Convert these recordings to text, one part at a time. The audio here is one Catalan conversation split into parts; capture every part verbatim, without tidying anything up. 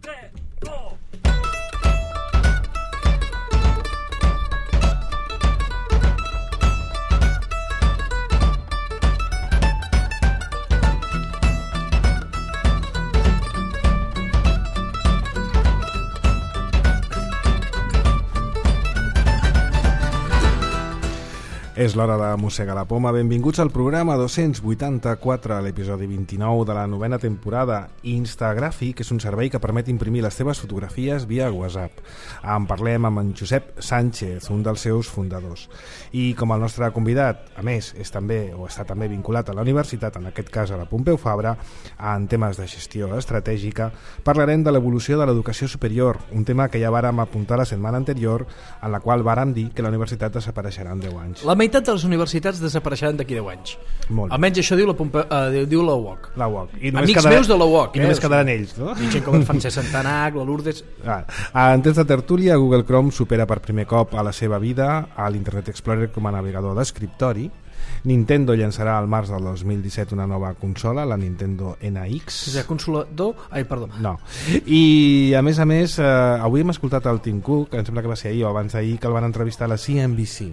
tres, dos... És l'hora de mossegar la poma. Benvinguts al programa dos-cents vuitanta-quatre, a l'episodi vint-i-nou de la novena temporada. Instagràfic és un servei que permet imprimir les teves fotografies via WhatsApp. En parlem amb en Josep Sánchez, un dels seus fundadors. I com el nostre convidat, a més, és també o està també vinculat a la universitat, en aquest cas a la Pompeu Fabra, en temes de gestió estratègica, parlarem de l'evolució de l'educació superior, un tema que ja vàrem apuntar la setmana anterior, en la qual vàrem dir que la universitat desapareixerà en deu anys. La meitat de les universitats desapareixeran d'aquí deu anys. Molt. Almenys això diu la, Pompe, uh, diu la U O C. La U O C. I Amics quedarà, meus de la U O C. I només eh? quedaran ells, no? I gent com en Francesc Santanac, la Lourdes... Ah, en temps de tertúlia, Google Chrome supera per primer cop a la seva vida a l'Internet Explorer com a navegador d'escriptori. Nintendo llançarà al març del dos mil disset una nova consola, la Nintendo N X. És a consola do... Ai, perdó. No. I, a més a més, eh, avui hem escoltat el Tim Cook, que em sembla que va ser ahir o abans d'ahir, que el van entrevistar a la C N B C.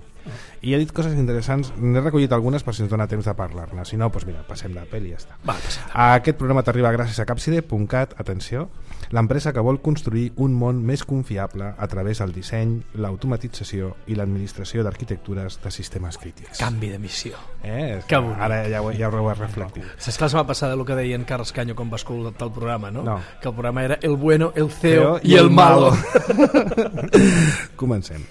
I ha dit coses interessants, n'he recollit algunes per si ens dona temps de parlar-ne, si no, doncs mira, passem de pel i ja està. Va, passem. Aquest programa t'arriba gràcies a Capside punt cat, atenció, l'empresa que vol construir un món més confiable a través del disseny, l'automatització i l'administració d'arquitectures de sistemes crítics. Canvi de missió. Eh? Que bonic. Ara ja ho, ja ho he reflectit. Saps que la setmana passada el que deia en Carles Canyo quan va escoltar el programa, no? No. Que el programa era el bueno, el feo, Feo i, i el, el malo. Comencem.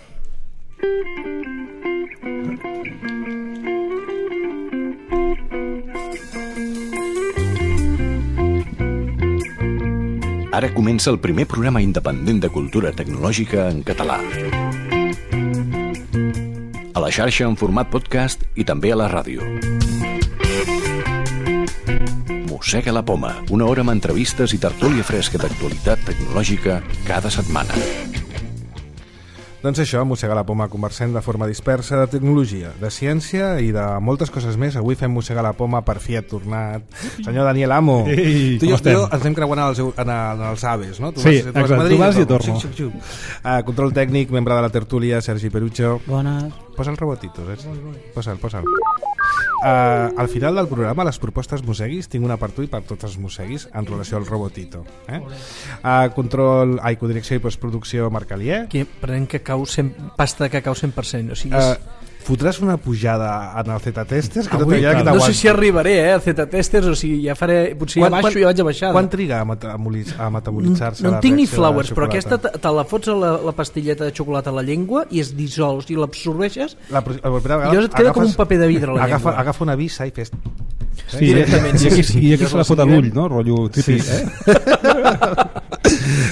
Ara comença el primer programa independent de cultura tecnològica en català. A la xarxa en format podcast i també a la ràdio. Mossega la poma, una hora amb entrevistes i tertúlia fresca d'actualitat tecnològica cada setmana. Doncs això, Mossega la poma, conversem de forma dispersa de tecnologia, de ciència i de moltes coses més. Avui fem Mossega la poma per fi ha tornat senyor Daniel Amo. Ei, tu i jo, com estem? jo ens hem creuat en els, en, en els Aves, no? Tu Sí, vas, tu vas exacte, a Madrid, tu vas i jo torno. Xuc, xuc, xuc. Uh, control tècnic, membre de la tertúlia, Sergi Perucho. Bones. Posa el robotito, Sergi. Posa'l, posa'l. Uh, al final del programa, les propostes mosseguis, tinc una per tu i per tots els mosseguis en relació al robotito. Eh? Uh, control, ai, codirecció i postproducció, Marc Alier. Aquí prenent cacau, cent, pasta de cacau cent per cent. O sigui, és... Uh, fotràs una pujada en el Z-Testers que Avui, no, no no sé si arribaré eh, al Z-Testers, o sigui, ja faré, potser Quan- ja baixo quan- i ja vaig a baixar. Quan triga a, metaboliz a metabolitzar-se no la en tinc ni reacció de la flowers, però xocolata? aquesta te, te la fots a la, la pastilleta de xocolata a la llengua i es dissol, o sigui, l'absorbeixes La, pro- la propera vegada i llavors et queda com un paper de vidre a la agafa, llengua. agafa una vissa i fes... Sí, Directament, i, sí, i, sí, sí. i aquí Jo se la la fot a seguiré. l'ull, no? Rotllo típic, Sí. eh?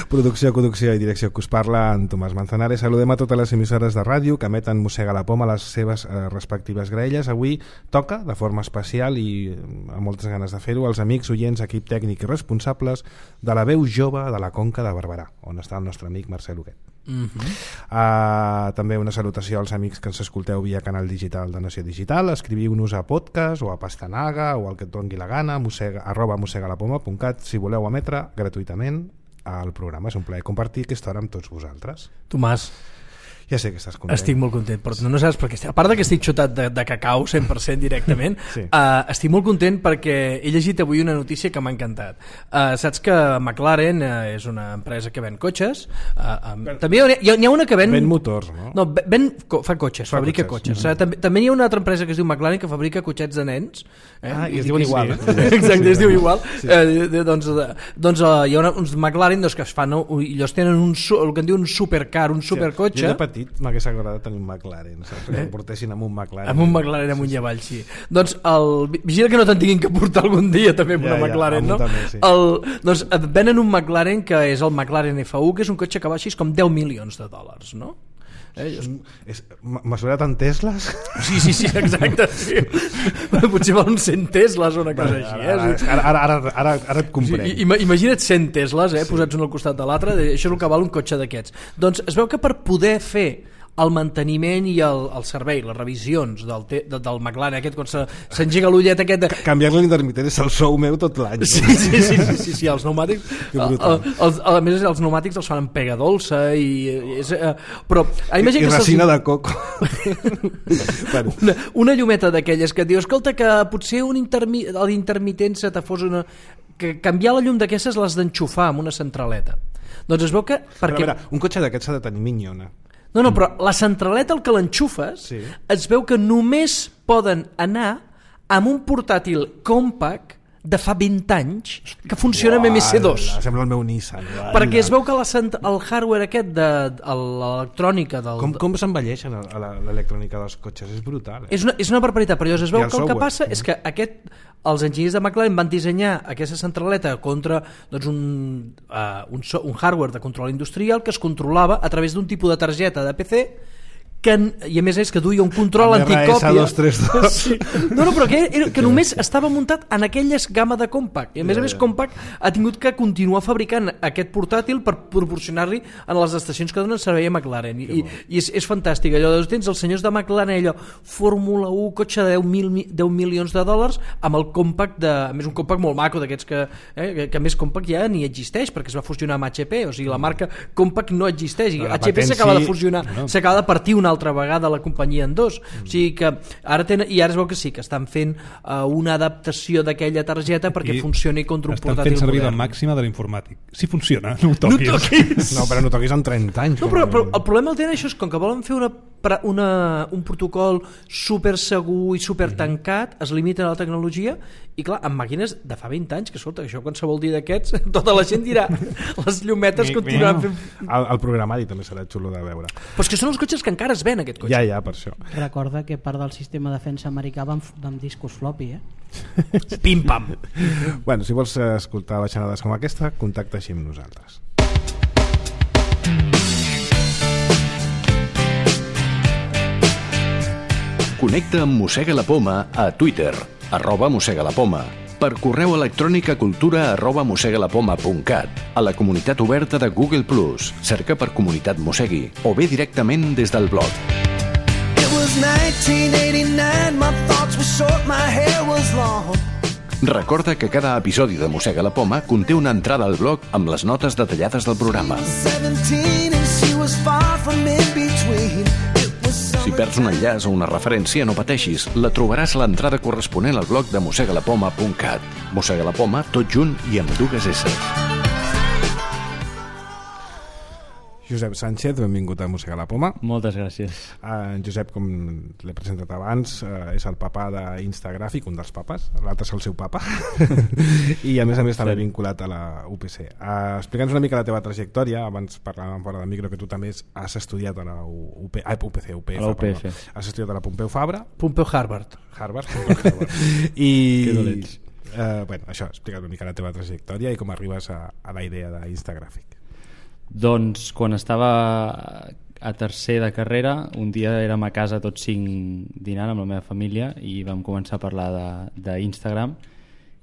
Producció, conducció i direcció que us parla en Tomàs Manzanares. Saludem a totes les emissores de ràdio que emeten Mossega la poma a les seves eh, respectives graelles. Avui toca, de forma especial i amb moltes ganes de fer-ho, als amics, oients, equip tècnic i responsables de la veu jove de la Conca de Barberà, on està el nostre amic Marcel Huguet. Mm -hmm. Uh, també una salutació als amics que ens escolteu via canal digital de Nació Digital. Escriviu-nos a podcast o a Pastanaga o al que et doni la gana, mossega, arroba mossegalapoma punt cat, si voleu emetre gratuïtament al programa. És un plaer compartir aquesta hora amb tots vosaltres. Tomàs, Ja sé que estàs content. estic molt content, però no, no saps per què estic. A part de que estic xutat de, de cacau cent per cent directament, Sí. uh, estic molt content perquè he llegit avui una notícia que m'ha encantat. Uh, saps que McLaren uh, és una empresa que ven cotxes, uh, um, també hi ha, hi ha una que ven... Ven motors, no? No, ven, co, fa cotxes, Fa fabrica cotxes. cotxes. Mm. També, també hi ha una altra empresa que es diu McLaren que fabrica cotxets de nens. Eh? Ah, i es diuen igual. Sí. Exacte, es diu igual. Sí. Eh, de, doncs de, doncs uh, hi ha una, uns McLaren doncs, que es fan, no? I ells tenen un, su- el que en diuen un supercar, un supercotxe. Jo de petit m'hagués agradat tenir un McLaren, saps? Que em portessin amb un McLaren. Amb un McLaren amunt i avall, sí. Doncs el, vigila que no te'n tinguin que portar algun dia també amb Ja, una ja, McLaren, amb no? un també, sí. El, doncs et venen un McLaren que és el McLaren F U, que és un cotxe que val així com deu milions de dòlars, no? Eh, jo... És, mesurat en Tesles? Sí, sí, sí, exacte, sí. Potser val uns cent Tesles o una cosa així, eh? Ara, ara, ara, ara, ara, ara et comprenc. Sí, ima- imagina't cent Tesles, eh, sí. posats un al costat de l'altre, això és el que val un cotxe d'aquests. Doncs es veu que per poder fer el manteniment i el, el servei, les revisions del, te, de, del McLaren aquest quan s'engega l'ullet aquest de... Canviar-li l'intermitent és el sou meu tot l'any. Sí, sí, sí, sí, sí, sí, els pneumàtics el, el, els, a més els pneumàtics els fan amb pega dolça i, és, uh, però I, i resina de coco. Bueno. una, una llumeta d'aquelles que et diu escolta que potser un intermi, l'intermitent se te fos una... que canviar la llum d'aquestes les d'enxufar amb una centraleta. Doncs es veu que... Perquè... Però, mira, un cotxe d'aquests s'ha de tenir minyona. No, no, però la centraleta al que l'enxufes sí. Es veu que només poden anar amb un portàtil compact de fa vint anys que funciona amb eme esse dos. Sembla el meu Nissan. Uala. Perquè es veu que la, el hardware aquest de, de l'electrònica... Del, com com s'envelleixen l'electrònica dels cotxes? És brutal. Eh? És, una, és una barbaritat, però es veu que el software. Que passa és que aquest, els enginyers de McLaren van dissenyar aquesta centraleta contra doncs, un, uh, un, so, un hardware de control industrial que es controlava a través d'un tipus de targeta de pe ce que, i a més és que duia un control anticòpia dos tres dos. Sí. No, no, però que, era, que només estava muntat en aquelles gamma de compact i a més a més compact ha tingut que continuar fabricant aquest portàtil per proporcionar-li a les estacions que donen servei a McLaren i, i, i és, és fantàstic allò, tens els senyors de McLaren allò, Fórmula u, cotxe de deu milions de dòlars amb el compact de, a més un compact molt maco d'aquests que, eh, que, que més compact ja ni existeix perquè es va fusionar amb hache pe, o sigui la marca compact no existeix, i hache pe s'acaba de fusionar, no. S'acaba de partir una altra vegada la companyia en dos, mm. o sigui que ara tenen, i ara es veu que sí, que estan fent uh, una adaptació d'aquella targeta perquè I funcioni contra un portàtil modern. Estan fent servir la màxima de l'informàtic. Si funciona, no ho toquis. No, toquis. No, però no toquis en trenta anys. No, però, però el problema el tenen això és com que volen fer una, una, un protocol super segur i super tancat, es limiten a la tecnologia i clar, amb màquines de fa vint anys, que escolta, això qualsevol dia d'aquests, tota la gent dirà les llumetes continuen fent... El, el programari també serà xulo de veure. Però és que són els cotxes que encara es ven, aquest cotxe. Ja, ja, per això. Recorda que part del sistema de defensa americà va amb, amb discos floppy, eh? Pim-pam! Bueno, si vols escoltar baixanades com aquesta, contacta així amb nosaltres. Connecta amb Mossega la Poma a Twitter, arroba Mossega la Poma, per correu electrònic a cultura arroba mossegalapoma punt cat, a la comunitat oberta de Google plus, cerca per Comunitat Mossegui, o bé directament des del blog. Recorda que cada episodi de Mossega la Poma conté una entrada al blog amb les notes detallades del programa. Si perds un enllaç o una referència, no pateixis, la trobaràs a l'entrada corresponent al blog de mossegalapoma punt cat. Mossega la Poma, tot junt i amb dues esses. Josep Sánchez, benvingut a Mossega la Poma. Moltes gràcies. Uh, Josep, com l'he presentat abans, uh, és el papà d'Instagràfic, un dels papes, l'altre és el seu papa, i a més a més també vinculat a la U P C. Uh, Explica'ns una mica la teva trajectòria, abans parlàvem fora del micro que tu també has estudiat a la U P C, ah, U P C, U P F, a la U P F. Has estudiat a la Pompeu Fabra. Pompeu Harvard. Harvard, Pompeu Harvard. I... Que dolents. Uh, bueno, això, explica't una mica la teva trajectòria i com arribes a, a la idea d'Instagràfic. Doncs quan estava a tercer de carrera, un dia érem a casa tots cinc dinant amb la meva família i vam començar a parlar d'Instagram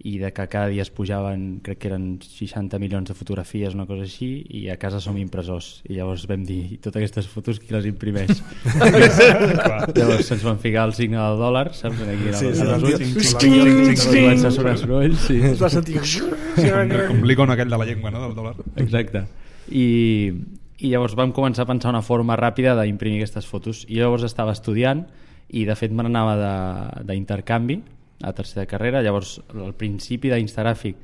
i de que cada dia es pujaven, crec que eren seixanta milions de fotografies, una cosa així, i a casa som impressors. I llavors vam dir, totes aquestes fotos qui les imprimeix? Llavors ens van ficar el signe del dòlar, saps? Aquí sí, sí, els ulls, comença a sonar soroll, sí. Es va sentir... Com l'icon aquell de la llengua, no?, del dòlar. Exacte. I, i llavors vam començar a pensar una forma ràpida d'imprimir aquestes fotos i llavors estava estudiant i de fet me n'anava d'intercanvi a tercera carrera, llavors al principi d'Instagràfic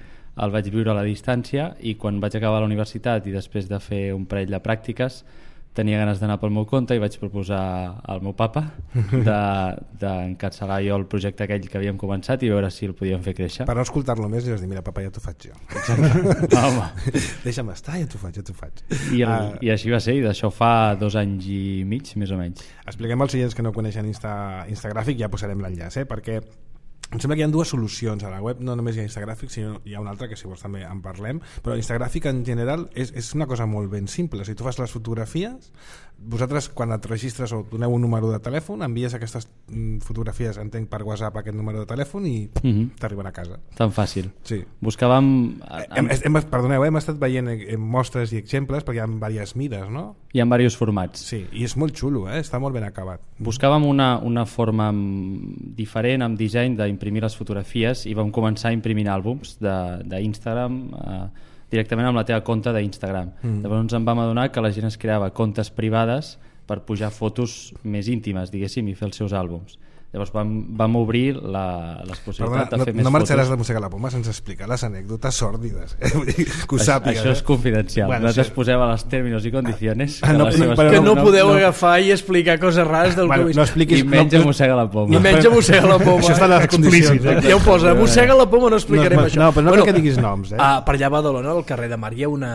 el vaig viure a la distància i quan vaig acabar la universitat i després de fer un parell de pràctiques tenia ganes d'anar pel meu compte i vaig proposar al meu papa d'encapçalar de, jo el projecte aquell que havíem començat i veure si el podíem fer créixer. Per no escoltar-lo més i vas dir, mira papa, ja t'ho faig jo. Home. Deixa'm estar, ja t'ho faig, ja t'ho faig. I, el, uh, I així va ser, i d'això fa dos anys i mig, més o menys. Expliquem als oients que no coneixen Insta, Instagràfic, ja posarem l'enllaç, eh? Perquè em sembla que hi ha dues solucions a la web, no només hi ha Instagràfic, sinó hi ha una altra que si vols també en parlem, però Instagràfic en general és, és una cosa molt ben simple. Si tu fas les fotografies, vosaltres quan et registres o doneu un número de telèfon, envies aquestes mm, fotografies, entenc, per WhatsApp aquest número de telèfon i mm-hmm. t'arriben a casa. Tan fàcil. Sí. Buscàvem... Hem, hem, perdoneu, hem estat veient mostres i exemples perquè hi ha diverses mides, no? Hi ha diversos formats. Sí, i és molt xulo, eh? Està molt ben acabat. Buscàvem una, una forma diferent amb disseny d'imprimir les fotografies i vam començar a imprimir àlbums d'Instagram eh, directament amb la teva compte d'Instagram. Mm. Llavors ens vam adonar que la gent es creava comptes privades per pujar fotos més íntimes, diguéssim, i fer els seus àlbums. Llavors vam, vam obrir la, les possibilitats Perdona, de fer no, més no marxaràs fotos. de Mossegar la Poma sense explicar les anècdotes sòrdides, eh? Vull dir, que ho sàpigues. Això és confidencial. Bueno, Nosaltres sí. posem a les términos i condiciones Ah, no, que, no, que no, no podeu no, agafar i explicar coses rares del bueno, que no expliquis, i menys no, mossega la poma. I menys mossega la poma. Això està a les condicions. Eh? Ja ho posa, mossega la poma, no explicarem no, això. No, però no bueno, que diguis noms. Eh? Ah, per allà a Badalona, al carrer de Mar, hi ha una,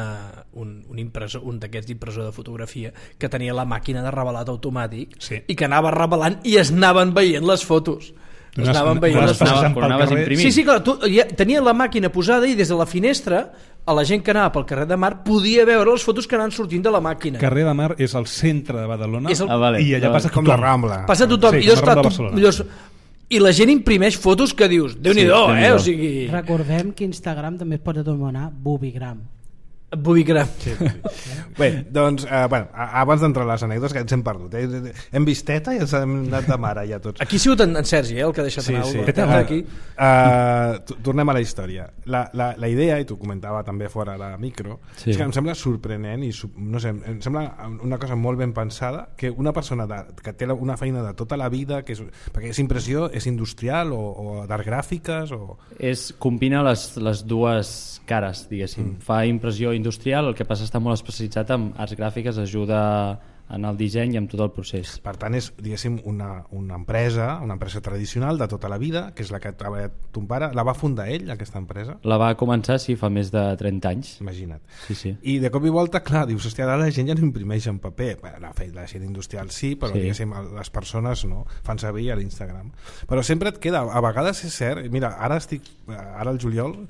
un, un, impressor, un d'aquests impressor de fotografia que tenia la màquina de revelat automàtic sí. i que anava revelant i es anaven veient les fotos. Es anaven veient les fotos. Quan anaves a imprimir. Sí, sí, clar, tu, ja, tenia la màquina posada i des de la finestra a la gent que anava pel carrer de Mar podia veure les fotos que anaven sortint de la màquina. Carrer de Mar és el centre de Badalona el... ah, vale. i allà no, passa com tothom. la Rambla. Passa tothom. Sí, I, llavors, clar, tu, llavors, I la gent imprimeix fotos que dius, Déu-n'hi-do, sí, eh? O sigui... Recordem que Instagram també es pot anomenar Bubigram. Bubigram. Sí, sí. Bé, doncs, eh, bueno, abans d'entrar a les anècdotes, que ens hem perdut. Eh? Hem vist Teta i ens hem anat de mare ja tots. Aquí ha sigut en, en Sergi, eh, el que ha deixat Sí, anar sí. el Teta aquí. Uh, tornem a la història. La, la, la idea, i t'ho comentava també fora de micro, sí. és que em sembla sorprenent i no sé, em sembla una cosa molt ben pensada que una persona de, que té una feina de tota la vida, que és, perquè és impressió, és industrial o, o d'art gràfiques o... És, combina les, les dues cares, diguéssim. Mm. Fa impressió industrial, el que passa està molt especialitzat en arts gràfiques, ajuda en el disseny i en tot el procés. Per tant, és, diguéssim, una, una empresa, una empresa tradicional de tota la vida, que és la que ha treballat ton pare. La va fundar ell, aquesta empresa? La va començar, sí, fa més de trenta anys. Imagina't. Sí, sí. I de cop i volta, clar, dius, hòstia, ara la gent ja no imprimeix en paper. Bé, la, la gent industrial sí, però sí. Diguéssim, les persones no, fan servir a l'Instagram. Però sempre et queda, a vegades és cert, mira, ara estic, ara el juliol,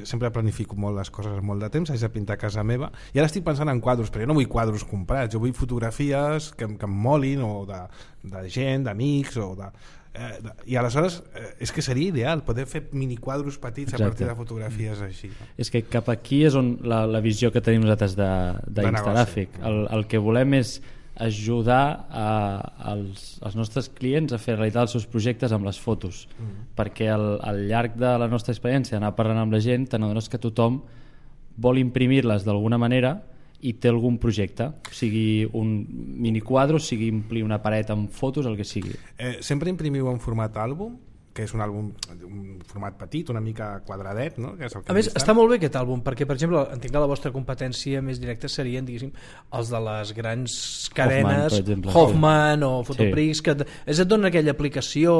sempre planifico molt les coses molt de temps, haig de pintar a casa meva i ara estic pensant en quadros, però jo no vull quadros comprats, jo vull fotografies que, que em molin o de, de gent, d'amics o de, eh, de, i aleshores eh, és que seria ideal poder fer miniquadros petits Exacte. A partir de fotografies així, no? És que cap aquí és on la, la visió que tenim nosaltres d'Instagràfic, el, el que volem és ajudar a, als, als nostres clients a fer realitat els seus projectes amb les fotos, mm. perquè al, al llarg de la nostra experiència anar parlant amb la gent t'adones que tothom vol imprimir-les d'alguna manera i té algun projecte, sigui un miniquadro, sigui omplir una paret amb fotos, el que sigui. Eh, sempre imprimiu en format àlbum? Que és un àlbum, un format petit, una mica quadradet, no? Que és el que a més, està molt bé aquest àlbum, perquè, per exemple, entenc que la vostra competència més directa serien, diguéssim, els de les grans cadenes, Hoffman, exemple, Hoffman sí. o Fotoprix, sí. que és et donen aquella aplicació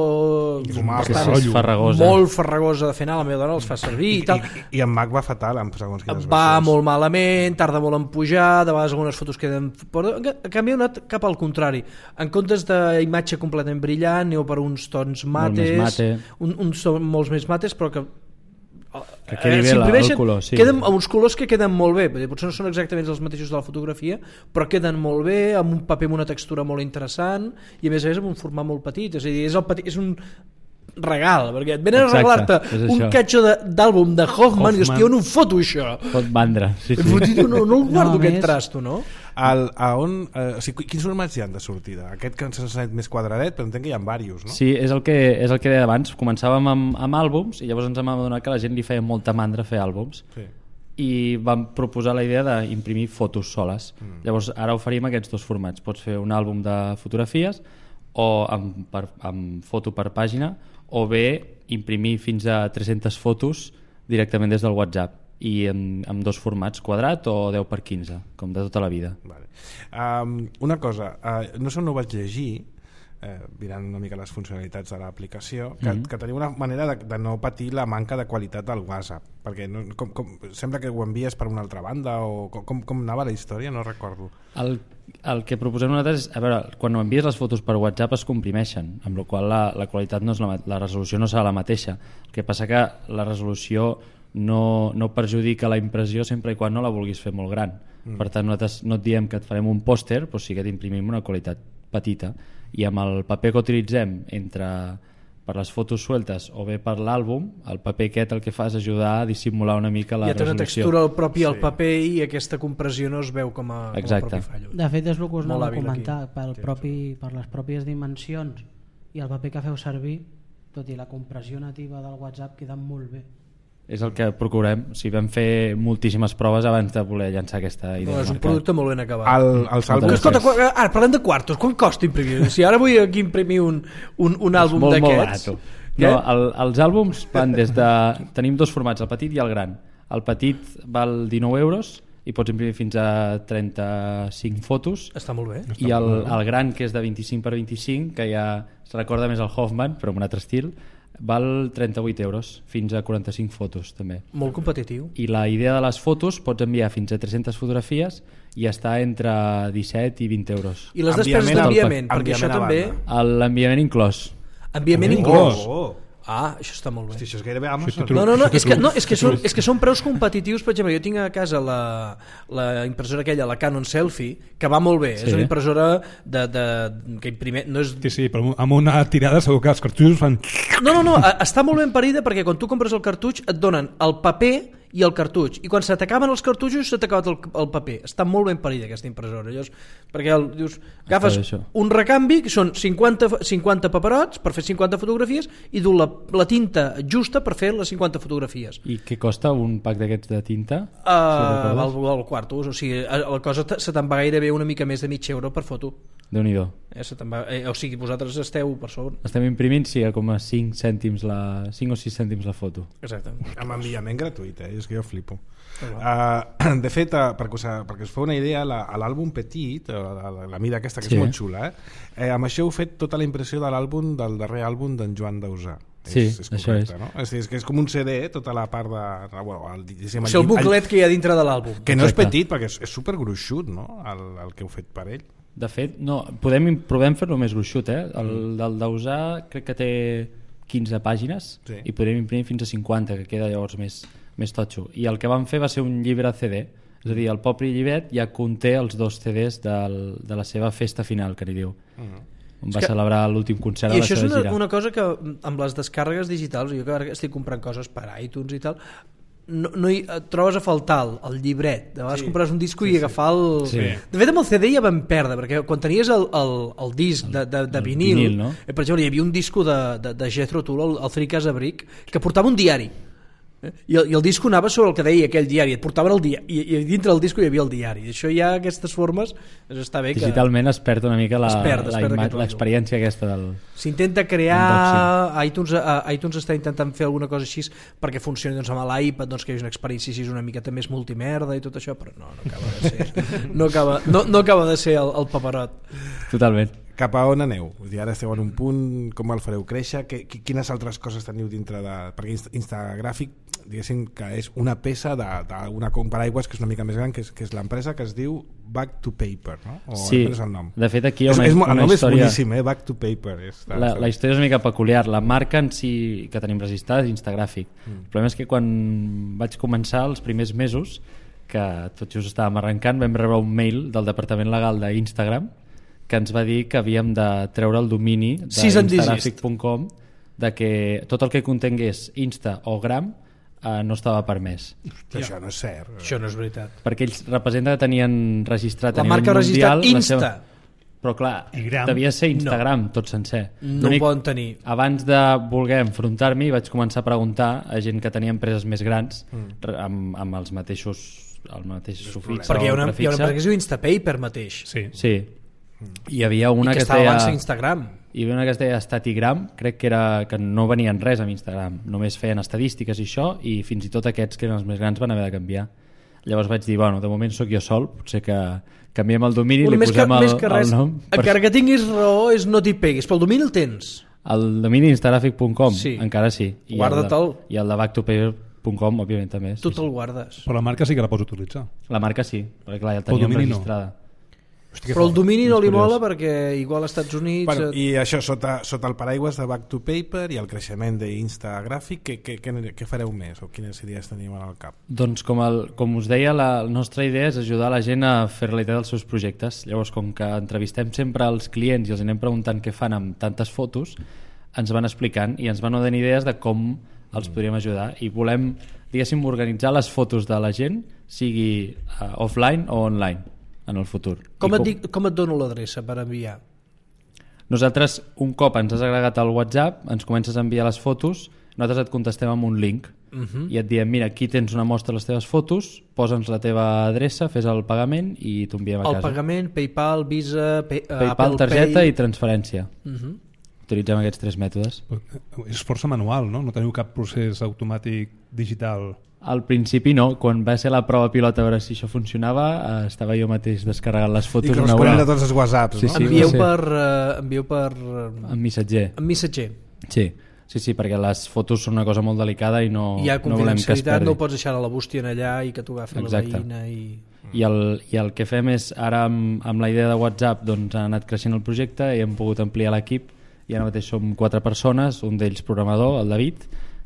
bastant farragosa. molt farragosa de fer anar, la meva dona els fa servir i, i tal. I, i en Mac va fatal, en segons quines va versions. molt malament, tarda molt en pujar, de vegades algunes fotos queden... En canvi, heu anat cap al contrari. En comptes d'imatge completament brillant, aneu per uns tons mates, mate. Un, uns són molts més mates, però que que quedi bé la, el color, sí. Queden uns colors que queden molt bé, potser no són exactament els mateixos de la fotografia, però queden molt bé, amb un paper amb una textura molt interessant i a més a més amb un format molt petit, és a dir, és, el petit, és un regal, perquè et venen Exacte, a regalar-te un catxo d'àlbum de Hoffman, Hoffman i hòstia, on ho foto això? Pot vendre, sí, sí. Fotit, no, no el guardo no, aquest més... trasto, no? El, a on, eh, o sigui, quins formats hi ha de sortida? Aquest que ens ha sentit més quadradet, però entenc que hi ha diversos, no? Sí, és el que, és el que deia abans. Començàvem amb, amb àlbums i llavors ens vam adonar que la gent li feia molta mandra fer àlbums. Sí. I vam proposar la idea d'imprimir fotos soles. Mm. Llavors ara oferim aquests dos formats. Pots fer un àlbum de fotografies o amb, per, amb foto per pàgina, o bé imprimir fins a tres-centes fotos directament des del WhatsApp i amb, amb dos formats, quadrat o deu per quinze, com de tota la vida. Vale. Um, una cosa, uh, no sé on ho vaig llegir, eh, mirant una mica les funcionalitats de l'aplicació, que, Mm-hmm. que tenia una manera de, de no patir la manca de qualitat del WhatsApp, perquè no, com, com, sembla que ho envies per una altra banda, o com, com, com anava la història, no recordo. El, el que proposem nosaltres és, a veure, quan envies les fotos per WhatsApp es comprimeixen, amb la qual la, la qualitat no és la, la resolució no serà la mateixa. El que passa que la resolució no, no perjudica la impressió sempre i quan no la vulguis fer molt gran. Mm. Per tant, nosaltres no et diem que et farem un pòster, però sí que t'imprimim una qualitat petita. I amb el paper que utilitzem entre per les fotos sueltes o bé per l'àlbum, el paper aquest el que fa és ajudar a dissimular una mica la ja té una resolució. textura al propi al Sí. paper i aquesta compressió no es veu com a, com a Exacte. propi fallo. De fet, és el que us Molt anava a hàbil comentar, aquí. pel propi, per les pròpies dimensions i el paper que feu servir, tot i la compressió nativa del WhatsApp, queda molt bé. És el que procurem. O sigui, vam fer moltíssimes proves abans de voler llançar aquesta idea. No, al és un mercat. producte molt ben acabat. El, els àlbums... Escolta, quan, ara parlem de quartos, quan costa imprimir? Si ara vull aquí imprimir un, un, un àlbum molt, molt d'aquests... barato. No, el, els àlbums van des de... Tenim dos formats, el petit i el gran. El petit val dinou euros i pots imprimir fins a trenta-cinc fotos, Està molt bé. i el, el gran, que és de vint-i-cinc per vint-i-cinc, que ja es recorda més al Hoffman, però amb un altre estil, val trenta-vuit euros, fins a quaranta-cinc fotos també. Molt competitiu. I la idea de les fotos, pots enviar fins a tres-centes fotografies i està entre disset i vint euros. I les despeses Enviament- d'enviament, perquè això enviament a també... banda. L'enviament inclòs. Enviament Oh, inclòs. oh. Ah, això està molt bé. Hosti, això és gairebé Amazon. No, no, no, és que, no, és que, són, és que són preus competitius. Per exemple, jo tinc a casa la, la impressora aquella, la Canon Selfie, que va molt bé. Sí. És una impressora de, de, que imprime... No, és... Sí, sí, però amb una tirada segur que els cartutxos fan... no, no, no, està molt ben parida perquè quan tu compres el cartutx et donen el paper i el cartutx, i quan se t'acaben els cartutxos se t'ha acabat el, el paper. Està molt ben parida aquesta impressora. Llavors, perquè el, dius, agafes això. un recanvi que són cinquanta, cinquanta paperots per fer cinquanta fotografies i du la, la tinta justa per fer les cinquanta fotografies. I què costa un pack d'aquests de tinta? Uh, recordes? al, al quarto, o sigui, la cosa te- se te'n va gairebé una mica més de mig euro per foto. Déu-n'hi-do. Eh, se te'n va, eh, o sigui, vosaltres esteu per sobre. Estem imprimint sí, a com a cinc cèntims la, cinc o sis cèntims la foto. Exacte. Amb enviament gratuït, eh? És que jo flipo. Uh, de fet, uh, perquè, us, perquè us feu una idea, la- a l'àlbum petit, uh, la, la, la mida aquesta, que Sí. és molt xula, eh? eh? amb això heu fet tota la impressió de l'àlbum, del darrer àlbum d'en Joan Dausà. Sí, és, és això correcte, és. no? És, és que és com un C D, tota la part de... Bueno, el, diguéssim, És el llim- buclet que hi ha dintre de l'àlbum. que no és Exacte. petit, perquè és, és supergruixut, no? El, el que heu fet per ell. De fet, no, podem, provem fer-lo més gruixut, eh? El del Dausà crec que té quinze pàgines Sí. i podem imprimir fins a cinquanta, que queda llavors més, més totxo. I el que vam fer va ser un llibre C D, és a dir, el propi llibret ja conté els dos C Ds del, de la seva festa final, que n'hi diu. On va que- celebrar l'últim concert I de la això és seva una, gira. una cosa que amb les descàrregues digitals, jo que ara estic comprant coses per iTunes i tal, no, no hi, et trobes a faltar el, el llibret. De vegades sí, compres un disco sí, i agafar el... Sí. De fet, amb el C D ja vam perdre, perquè quan tenies el, el, el disc de, de, de el vinil, vinil, no? eh, per exemple, hi havia un disco de, de, de Jethro Tull, el, el Three Casa Brick, que portava un diari. Eh? I, el, I el disco anava sobre el que deia aquell diari, et portaven el dia i, i dintre del disco hi havia el diari. I això ja, aquestes formes, doncs està bé que... Digitalment es perd una mica la- Es perd, es la perd ima- aquest rotllo. l'experiència aquesta del... S'intenta crear, iTunes, uh, iTunes està intentant fer alguna cosa així perquè funcioni doncs, amb l'iPad, doncs, que hi hagi una experiència així una miqueta més multimerda i tot això, però no, no acaba de ser, no acaba, no, no acaba de ser el, el paperot. Totalment. Cap a on aneu? Vull dir, ara esteu en un punt, com el fareu créixer? Que, qui- quines altres coses teniu dintre de... Perquè Insta- Instagràfic, diguéssim que és una peça d'una paraigües que és una mica més gran, que és, que és l'empresa que es diu Back to Paper, no? O Sí, és el nom? de fet aquí hi ha És, una, és, mo- el una nom és història... boníssim, eh? Back to Paper. És, La, la història és una mica peculiar. La marca en si que tenim registrada és Instagràfic. Mm. El problema és que quan vaig començar els primers mesos, que tot just estàvem arrencant, vam rebre un mail del departament legal d'Instagram que ens va dir que havíem de treure el domini Cease and desist. d'instagràfic punt com, de que tot el que contengués Insta o Gram eh, no estava permès. Però això no és cert. Això no és veritat. Perquè ells representa que tenien registrat La a nivell marca ha registrat mundial la Insta. seva... Però clar, I Gram? devia ser Instagram no. tot sencer. No L'únic- ho poden tenir. Abans de voler enfrontar-m'hi vaig començar a preguntar a gent que tenia empreses més grans mm. amb, amb els mateixos el mateix sufix Perquè hi ha o una, hi ha una prefixe. empresa que es diu Instapaper mateix. Sí. Sí. Hi havia una I que que, es estava deia abans a Instagram. hi havia una que es deia Statigram, crec que era que no venien res amb Instagram, només feien estadístiques i això, i fins i tot aquests que eren els més grans van haver de canviar. Llavors vaig dir, bueno, de moment sóc jo sol, potser que canviem el domini, bueno, li posem que, el, que res, el nom. Encara que tinguis raó, és no t'hi peguis, pel domini el tens. El domini instagràfic punt com, sí. encara sí. I Guarda-te'l. I el de back to paper punt com, òbviament, també. Tu sí, te'l sí. guardes. Però la marca sí que la pots utilitzar. La marca sí, perquè clar, ja el teníem registrada. No. Hosti, però el domini no li mola perquè igual als Estats Units... Bueno, I això, sota, sota el paraigües de Back to Paper i el creixement d'Instagràfic, què, què, què, què fareu més o quines idees teniu al cap? Doncs com, el, com us deia, la, la nostra idea és ajudar la gent a fer realitat els seus projectes. Llavors, com que entrevistem sempre els clients i els anem preguntant què fan amb tantes fotos, ens van explicant i ens van donant idees de com els podríem ajudar i volem, diguéssim, organitzar les fotos de la gent, sigui uh, offline o online en el futur. Com et, com... dic, com et dono l'adreça per enviar? Nosaltres, un cop ens has agregat al WhatsApp, ens comences a enviar les fotos, nosaltres et contestem amb un link uh -huh. i et diem, mira, aquí tens una mostra de les teves fotos, posa'ns la teva adreça, fes el pagament i t'ho enviem a casa. El pagament, PayPal, Visa, pay, PayPal, Apple targeta Pay... i transferència. Uh -huh. Utilitzem aquests tres mètodes. És força manual, no? No teniu cap procés automàtic digital. Al principi no, quan va ser la prova pilot a veure si això funcionava, eh, estava jo mateix descarregant les fotos. I corresponent a tots els whatsapps, sí, no? sí, envieu, sí. per, uh, envieu per... Uh, en missatger. En missatger. Sí, sí, sí, perquè les fotos són una cosa molt delicada i no, hi ha no volem que es perdi. no ho pots deixar a la bústia en allà i que t'ho agafi Exacte. la veïna i... I el, I el que fem és, ara amb, amb la idea de WhatsApp doncs, ha anat creixent el projecte i hem pogut ampliar l'equip i ara mateix som quatre persones, un d'ells programador, el David,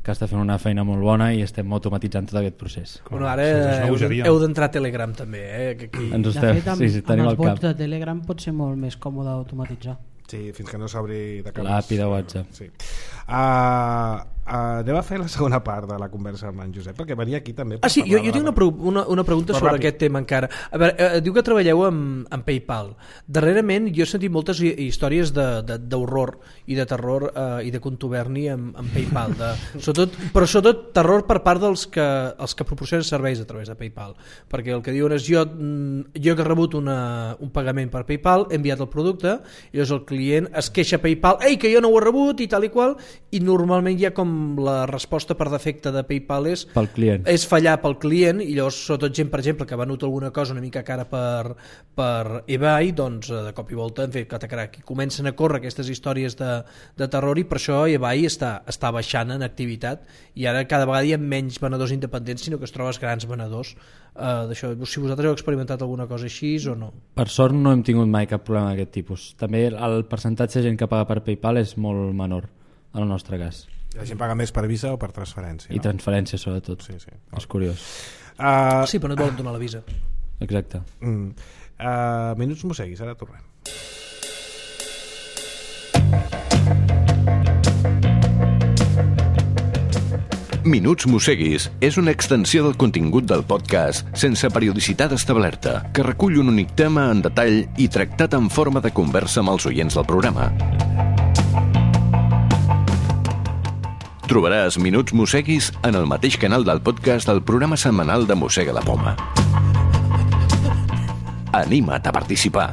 que està fent una feina molt bona i estem automatitzant tot aquest procés. Bueno, ara heu, heu d'entrar a Telegram també, eh? Que aquí... Ens de estem, fet, amb, sí, sí, tenim amb els el bots cap. de Telegram pot ser molt més còmode automatitzar. Sí, fins que no s'obri de cap. L'A P I de WhatsApp. Sí. Uh, uh, anem a fer la segona part de la conversa amb en Josep, perquè venia aquí també per Ah, sí, jo, jo tinc la... una, una, una pregunta Però sobre ràpid. aquest tema encara. A veure, eh, diu que treballeu amb, amb PayPal. Darrerament jo he sentit moltes hi- històries d'horror i de terror eh, i de contuberni amb, amb PayPal. De, sobretot, però sobretot terror per part dels que, els que proporcionen serveis a través de PayPal. Perquè el que diuen és jo, mm, jo que he rebut una, un pagament per PayPal, he enviat el producte, i llavors el client es queixa a PayPal, ei, que jo no ho he rebut i tal i qual, i normalment hi ha com la resposta per defecte de PayPal és, Pel client. és fallar pel client, i llavors sobretot gent, per exemple, que ha venut alguna cosa una mica cara per, per eBay, doncs de cop i volta en fet catacrac, i comencen a córrer aquestes històries de, de terror, i per això eBay està, està baixant en activitat, i ara cada vegada hi ha menys venedors independents, sinó que es trobes grans venedors uh, d'això. Si vosaltres heu experimentat alguna cosa així o no? Per sort no hem tingut mai cap problema d'aquest tipus. També el percentatge de gent que paga per PayPal és molt menor, en el nostre cas. La gent paga més per Visa o per transferència, I no? transferència, sobretot. Sí, sí. És curiós. Uh, Sí, però no et volen donar la visa. Exacte. mm, uh, minuts mosseguis, ara tornem. Minuts Mosseguis és una extensió del contingut del podcast sense periodicitat establerta, que recull un únic tema en detall i tractat en forma de conversa amb els oients del programa. Trobaràs Minuts Mosseguis en el mateix canal del podcast del programa setmanal de Mossega la Poma. Anima't a participar.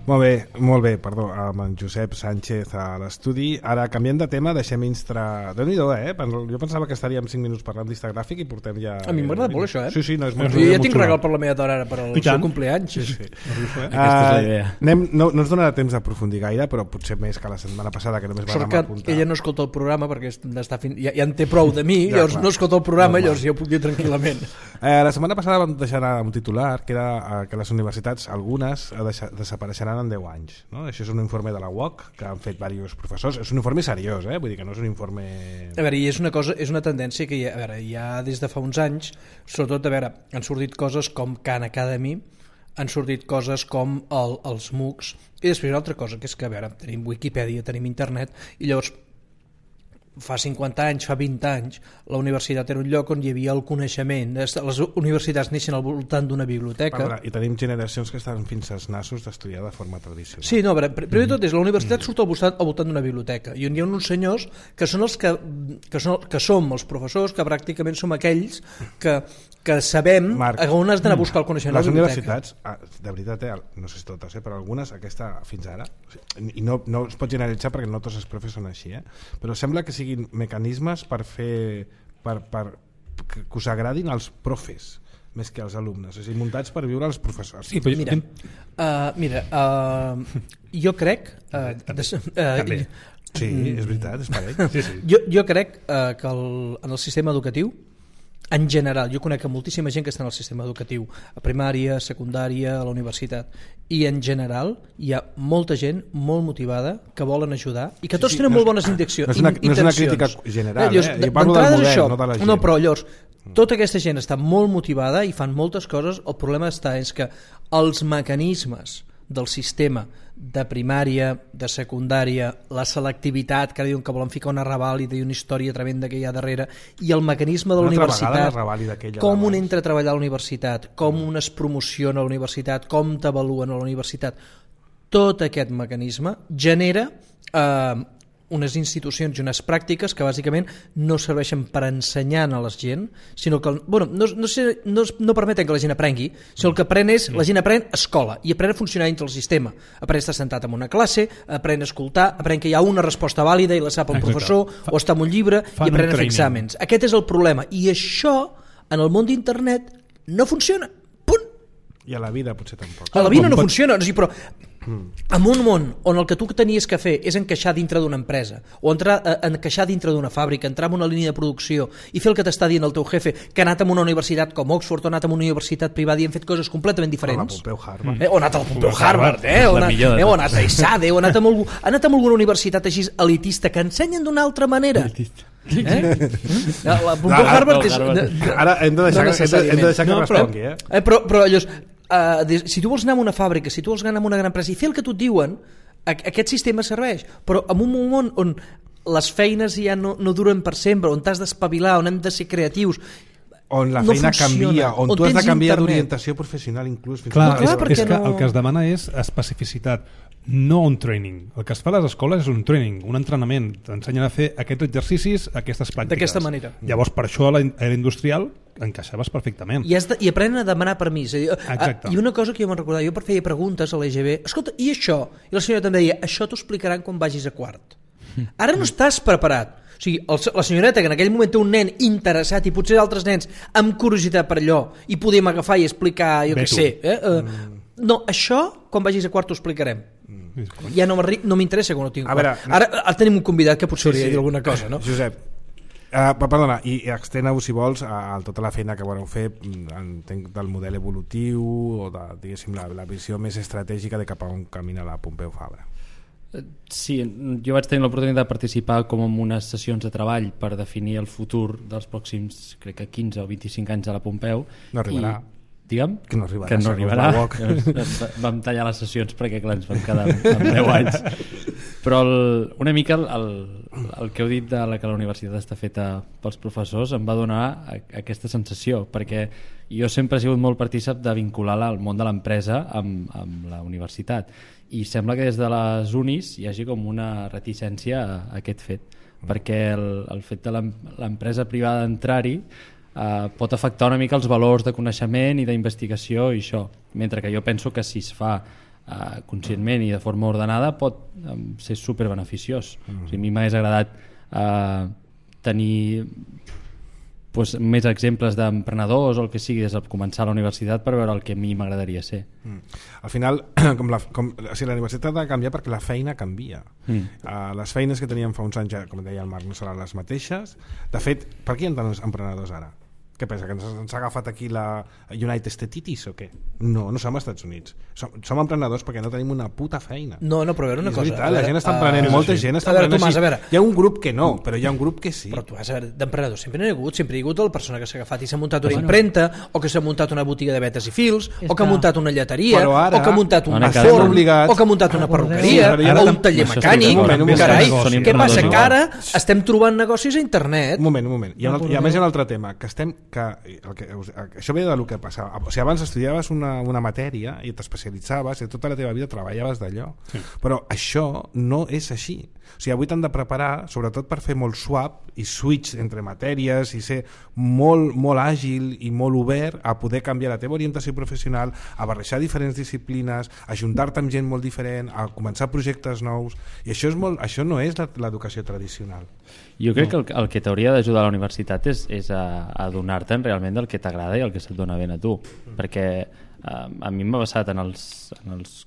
Molt bé, molt bé, perdó, amb en Josep Sánchez a l'estudi. Ara, canviem de tema, deixem Instra... Déu-n'hi-do, eh? Jo pensava que estaríem cinc minuts parlant d'Instagràfic i portem ja... A mi m'agrada molt això, eh? Sí, sí, no, és molt... Jo ja tinc regal per la meva dona ara per al I seu tant. compleanys. Sí, sí. Aquesta és la idea. Uh, anem, no, no ens donarà temps d'aprofundir gaire, però potser més que la setmana passada, que només Sort vam que apuntar. ella no escolta el programa perquè està fin... ja, ja en té prou de mi, Ja, llavors clar. no escolta el programa, Normal. llavors ja ho puc dir tranquil·lament. Eh, la setmana passada vam deixar anar un titular que era eh, que les universitats, algunes, eh, deixa, desapareixeran en deu anys. No? Això és un informe de la U O C que han fet diversos professors. És un informe seriós, eh? Vull dir que no és un informe... A veure, i és una cosa, és una tendència que hi ha, a veure, hi ha des de fa uns anys, sobretot, a veure, han sortit coses com Khan Academy, han sortit coses com el, els MOOCs, i després una altra cosa, que és que, a veure, tenim Wikipedia, tenim internet, i llavors fa cinquanta anys, fa vint anys, la universitat era un lloc on hi havia el coneixement. Les universitats neixen al voltant d'una biblioteca. Perdona, i tenim generacions que estan fins als nassos d'estudiar de forma tradicional. Sí, no, a veure, primer de tot és la universitat surt al voltant, al voltant d'una biblioteca i on hi ha uns senyors que són els que, que, són, que som els professors, que pràcticament som aquells que, que sabem Marc, a on has d'anar a buscar el coneixement. les a la biblioteca. universitats, ah, de veritat, eh, no sé si totes, eh, però algunes, aquesta fins ara, o sigui, i no, no es pot generalitzar perquè no tots els profes són així, eh, però sembla que siguin mecanismes per fer per, per que, que us agradin els profes més que els alumnes, és a dir, muntats per viure els professors. Sí, però mira, uh, mira uh, jo crec uh, des, uh, sí, és veritat, és parell. Sí, sí. jo, jo crec uh, que el, en el sistema educatiu en general, jo conec moltíssima gent que està en el sistema educatiu, a primària, secundària, a la universitat, i en general hi ha molta gent molt motivada que volen ajudar i que tots sí, sí, tenen no molt és, bones intencions. No és una, no és una crítica general, eh? Llavors, Jo parlo del model, això, no de la gent. No, però llavors, tota aquesta gent està molt motivada i fan moltes coses. El problema està és que els mecanismes del sistema de primària, de secundària, la selectivitat, que ara diuen que volen ficar una revàlida i una història tremenda que hi ha darrere, i el mecanisme de la universitat, com un entra a treballar a la universitat, com un es promociona a la universitat, com t'avaluen a la universitat, tot aquest mecanisme genera eh, unes institucions i unes pràctiques que bàsicament no serveixen per ensenyar a la gent, sinó que bueno, no, no, sé, no, no permeten que la gent aprengui, sinó el que aprèn és, la gent aprèn escola i aprèn a funcionar dintre el sistema, aprèn a estar sentat en una classe, aprèn a escoltar, aprèn que hi ha una resposta vàlida i la sap el Exacte. professor Fa, o està en un llibre i aprèn a fer exàmens. Aquest és el problema i això en el món d'internet no funciona, punt. I a la vida potser tampoc. A la vida no funciona, o sigui, però en un món on el que tu tenies que fer és encaixar dintre d'una empresa o entrar, eh, encaixar dintre d'una fàbrica, entrar en una línia de producció i fer el que t'està dient el teu jefe, que ha anat a una universitat com Oxford o ha anat a una universitat privada i han fet coses completament diferents, O la Pompeu Harvard. eh, o ha anat al Pompeu Harvard, eh, o, ha anat, eh, o ha anat a ESADE, o ha anat amb, algú, ha anat amb alguna universitat així elitista que ensenyen d'una altra manera. Eh? La Pompeu Ara, Harvard és... Ara hem de deixar, no hem de, hem de deixar que no, respongui, eh? eh però, però llavors, uh, des, si tu vols anar a una fàbrica, si tu vols anar a una gran empresa i fer el que tu et diuen, aquest sistema serveix, però en un moment on les feines ja no, no duren per sempre, on t'has d'espavilar, on hem de ser creatius, on la no feina funciona, canvia, on, on tu has de tens canviar internet. d'orientació professional inclús. Fins Clar, No, clar, és, perquè és que no- el que es demana és especificitat, no un training. El que es fa a les escoles és un training, un entrenament. T'ensenyen a fer aquests exercicis, aquestes pràctiques. D'aquesta manera. Llavors, per això a la a la industrial encaixaves perfectament. I, has de, i aprenen a demanar permís. És a dir, Exacte. I una cosa que jo me'n recordava, jo per feia preguntes a l'E G B, escolta, i això? I la senyora em deia, això t'ho explicaran quan vagis a quart. Ara no estàs preparat. O sigui, el, la senyoreta que en aquell moment té un nen interessat i potser altres nens amb curiositat per allò i podem agafar i explicar, jo Ve què tu. sé. Eh? Uh, no, això, quan vagis a quart t'ho explicarem. Ja no m'arri- no m'interessa quan ho tinc. A veure, ara, ara tenim un convidat que potser Sí, hauria de sí. dir alguna cosa, no? Josep, uh, perdona, i, i extena-ho si vols a, a tota la feina que voleu fer, entenc, del model evolutiu o de, diguéssim, la, la visió més estratègica de cap a on camina la Pompeu Fabra. Sí, jo vaig tenir l'oportunitat de participar com en unes sessions de treball per definir el futur dels pròxims, crec que quinze o vint-i-cinc anys a la Pompeu. No arribarà. I, digue'm? Que no arribarà, Que no segons arribarà. la U O C. Vam tallar les sessions perquè clar, ens vam quedar amb, amb deu anys. Però el, una mica el, el, el que heu dit de la que la universitat està feta pels professors em va donar a, aquesta sensació, perquè jo sempre he sigut molt partícip de vincular el món de l'empresa amb, amb la universitat, i sembla que des de les unis hi hagi com una reticència a, a aquest fet, perquè el, el fet de l'em- l'empresa privada d'entrar-hi Uh, pot afectar una mica els valors de coneixement i d'investigació i això, mentre que jo penso que si es fa uh, conscientment i de forma ordenada pot um, ser superbeneficiós. Mm-hmm. O sigui, a mi m'hagués agradat uh, tenir pues, més exemples d'emprenedors o el que sigui des de començar a la universitat per veure el que a mi m'agradaria ser. Mm. Al final, com la, com, o sigui, la universitat ha de canviar perquè la feina canvia. Mm. Uh, les feines que teníem fa uns anys, ja, com deia el Marc, no seran les mateixes. De fet, per què hi ha tants emprenedors ara? Què pensa, que ens, ens ha agafat aquí la United Statitis o què? No, no som als Estats Units. Som, som emprenedors perquè no tenim una puta feina. No, no, però a veure una És cosa. veritat, a veure, la gent està uh, emprenent, molta gent està a veure, emprenent Tomàs, així. a veure. Hi ha un grup que no, però hi ha un grup que sí. Però tu has a veure, d'emprenedors sempre n'hi ha hagut, sempre hi ha hagut la persona que s'ha agafat i s'ha muntat una impremta, o que s'ha muntat una botiga de vetes i fils, És o que ha que- muntat una lleteria, Però ara, o que ha muntat un Ara estem forn, obligats- o que ha muntat una Recordeu- perruqueria, Sí, ara o un tam- taller això estic mecànic. d'acord. Un moment, un Carai, moment. Són què passa? emprenedors Que ara estem trobant negocis a internet. Un moment, un moment. Hi ha, un altre, hi ha més un altre tema, que estem que, el que això ve del que passava. O sigui, abans estudiaves una, una matèria i t'especialitzaves i tota la teva vida treballaves d'allò. Sí. Però això no és així. O sigui, avui t'han de preparar, sobretot per fer molt swap i switch entre matèries i ser molt, molt àgil i molt obert a poder canviar la teva orientació professional, a barrejar diferents disciplines, a juntar-te amb gent molt diferent, a començar projectes nous, i això, és molt, això no és l'educació tradicional. Jo crec que el, el que t'hauria d'ajudar a la universitat és, és a, a donar-te'n realment del que t'agrada i el que se't dona ben a tu, mm. perquè eh, a mi m'ha passat en els, en els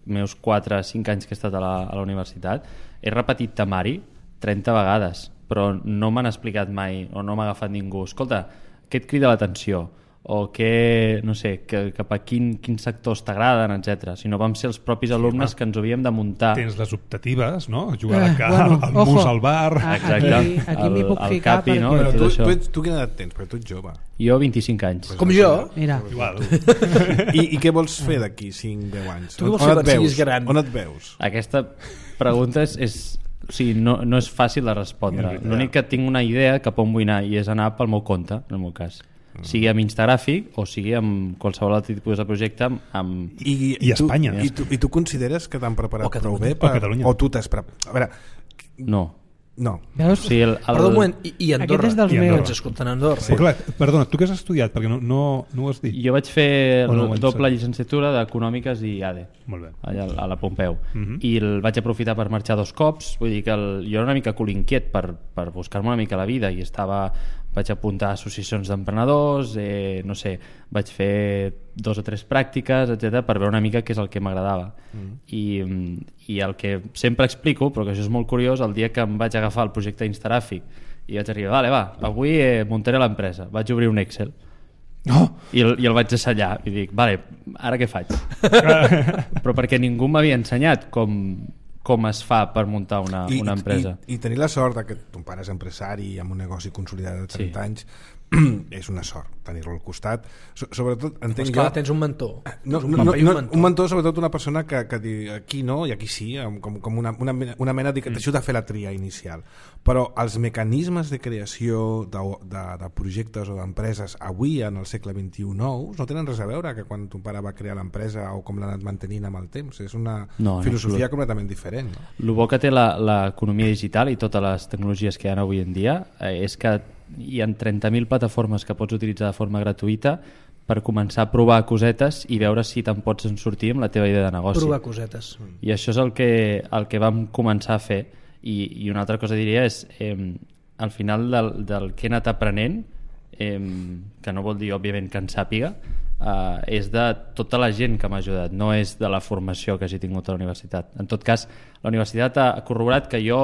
meus quatre o cinc anys que he estat a la, a la universitat, he repetit temari trenta vegades, però no m'han explicat mai o no m'ha agafat ningú, escolta, què et crida l'atenció? O que, no sé, que, cap a quin, quins sectors t'agraden, etcètera. Si no vam ser els propis alumnes sí, que ens ho havíem de muntar. Tens les optatives, no? Jugar eh, de car, bueno, al mus al bar... Exacte, aquí, aquí m'hi puc ficar capi, perquè... no? Però tu, tu, tu, tu quina edat tens? Perquè tu ets jove. Jo vint-i-cinc anys. Com jo. Mira. Igual. I, I què vols fer d'aquí cinc deu anys? Tu què vols on, fer on, quan et siguis veus? gran? On et veus? Aquesta pregunta és... és o sigui, no, no és fàcil de respondre. L'únic que tinc una idea cap on vull anar i és anar pel meu compte, en el meu cas. Sigui amb Instagràfic o sigui amb qualsevol altre tipus de projecte amb... I, I tu, Espanya. I tu, I tu consideres que t'han preparat prou bé? O Catalunya. O tu t'has preparat? A veure... No. No. Veus? O sigui, el, el... Perdó un moment, i, i Andorra? Aquest és dels I Andorra. meus. Ens escolten a Andorra. Sí. Clar, perdona, tu què has estudiat? Perquè no, no, no ho has dit. Jo vaig fer O no ho vaig doble saber. llicenciatura d'Econòmiques i A D E, Molt bé. allà a la Pompeu. Uh -huh. I el vaig aprofitar per marxar dos cops, vull dir que el, jo era una mica cul inquiet per, per buscar-me una mica la vida i estava... vaig apuntar a associacions d'emprenedors, eh, no sé, vaig fer dos o tres pràctiques, etcètera, per veure una mica què és el que m'agradava. Mm. I, I el que sempre explico, però que això és molt curiós, el dia que em vaig agafar el projecte Instagràfic i vaig arribar, vale, va, avui eh, muntaré l'empresa, vaig obrir un Excel. Oh! I, el, i el vaig assallar i dic, vale, ara què faig? Però perquè ningú m'havia ensenyat com... com es fa per muntar una, I, una empresa. I, I tenir la sort de que ton pare és empresari amb un negoci consolidat de trenta sí. anys és una sort tenir-lo al costat. So, sobretot entenc pues clar, jo... tens un mentor. No, un, no, no, un, no, mentor. un mentor, sobretot una persona que, que diu aquí no i aquí sí, com, com una, una, mena, una mena de que t'ajuda a fer la tria inicial. Però els mecanismes de creació de, de, de projectes o d'empreses avui en el segle vint-i-u nous no tenen res a veure que quan ton pare va crear l'empresa o com l'ha anat mantenint amb el temps. És una no, filosofia no, completament diferent. No? El bo que té l'economia digital i totes les tecnologies que hi ha avui en dia eh, és que hi ha trenta mil plataformes que pots utilitzar de forma gratuïta per començar a provar cosetes i veure si te'n pots en sortir amb la teva idea de negoci. Provar cosetes. I això és el que, el que vam començar a fer. I, i una altra cosa diria és eh, al final del, del que he anat aprenent, eh, que no vol dir òbviament que en sàpiga, eh, és de tota la gent que m'ha ajudat, no és de la formació que hagi tingut a la universitat. En tot cas, la universitat ha corroborat que jo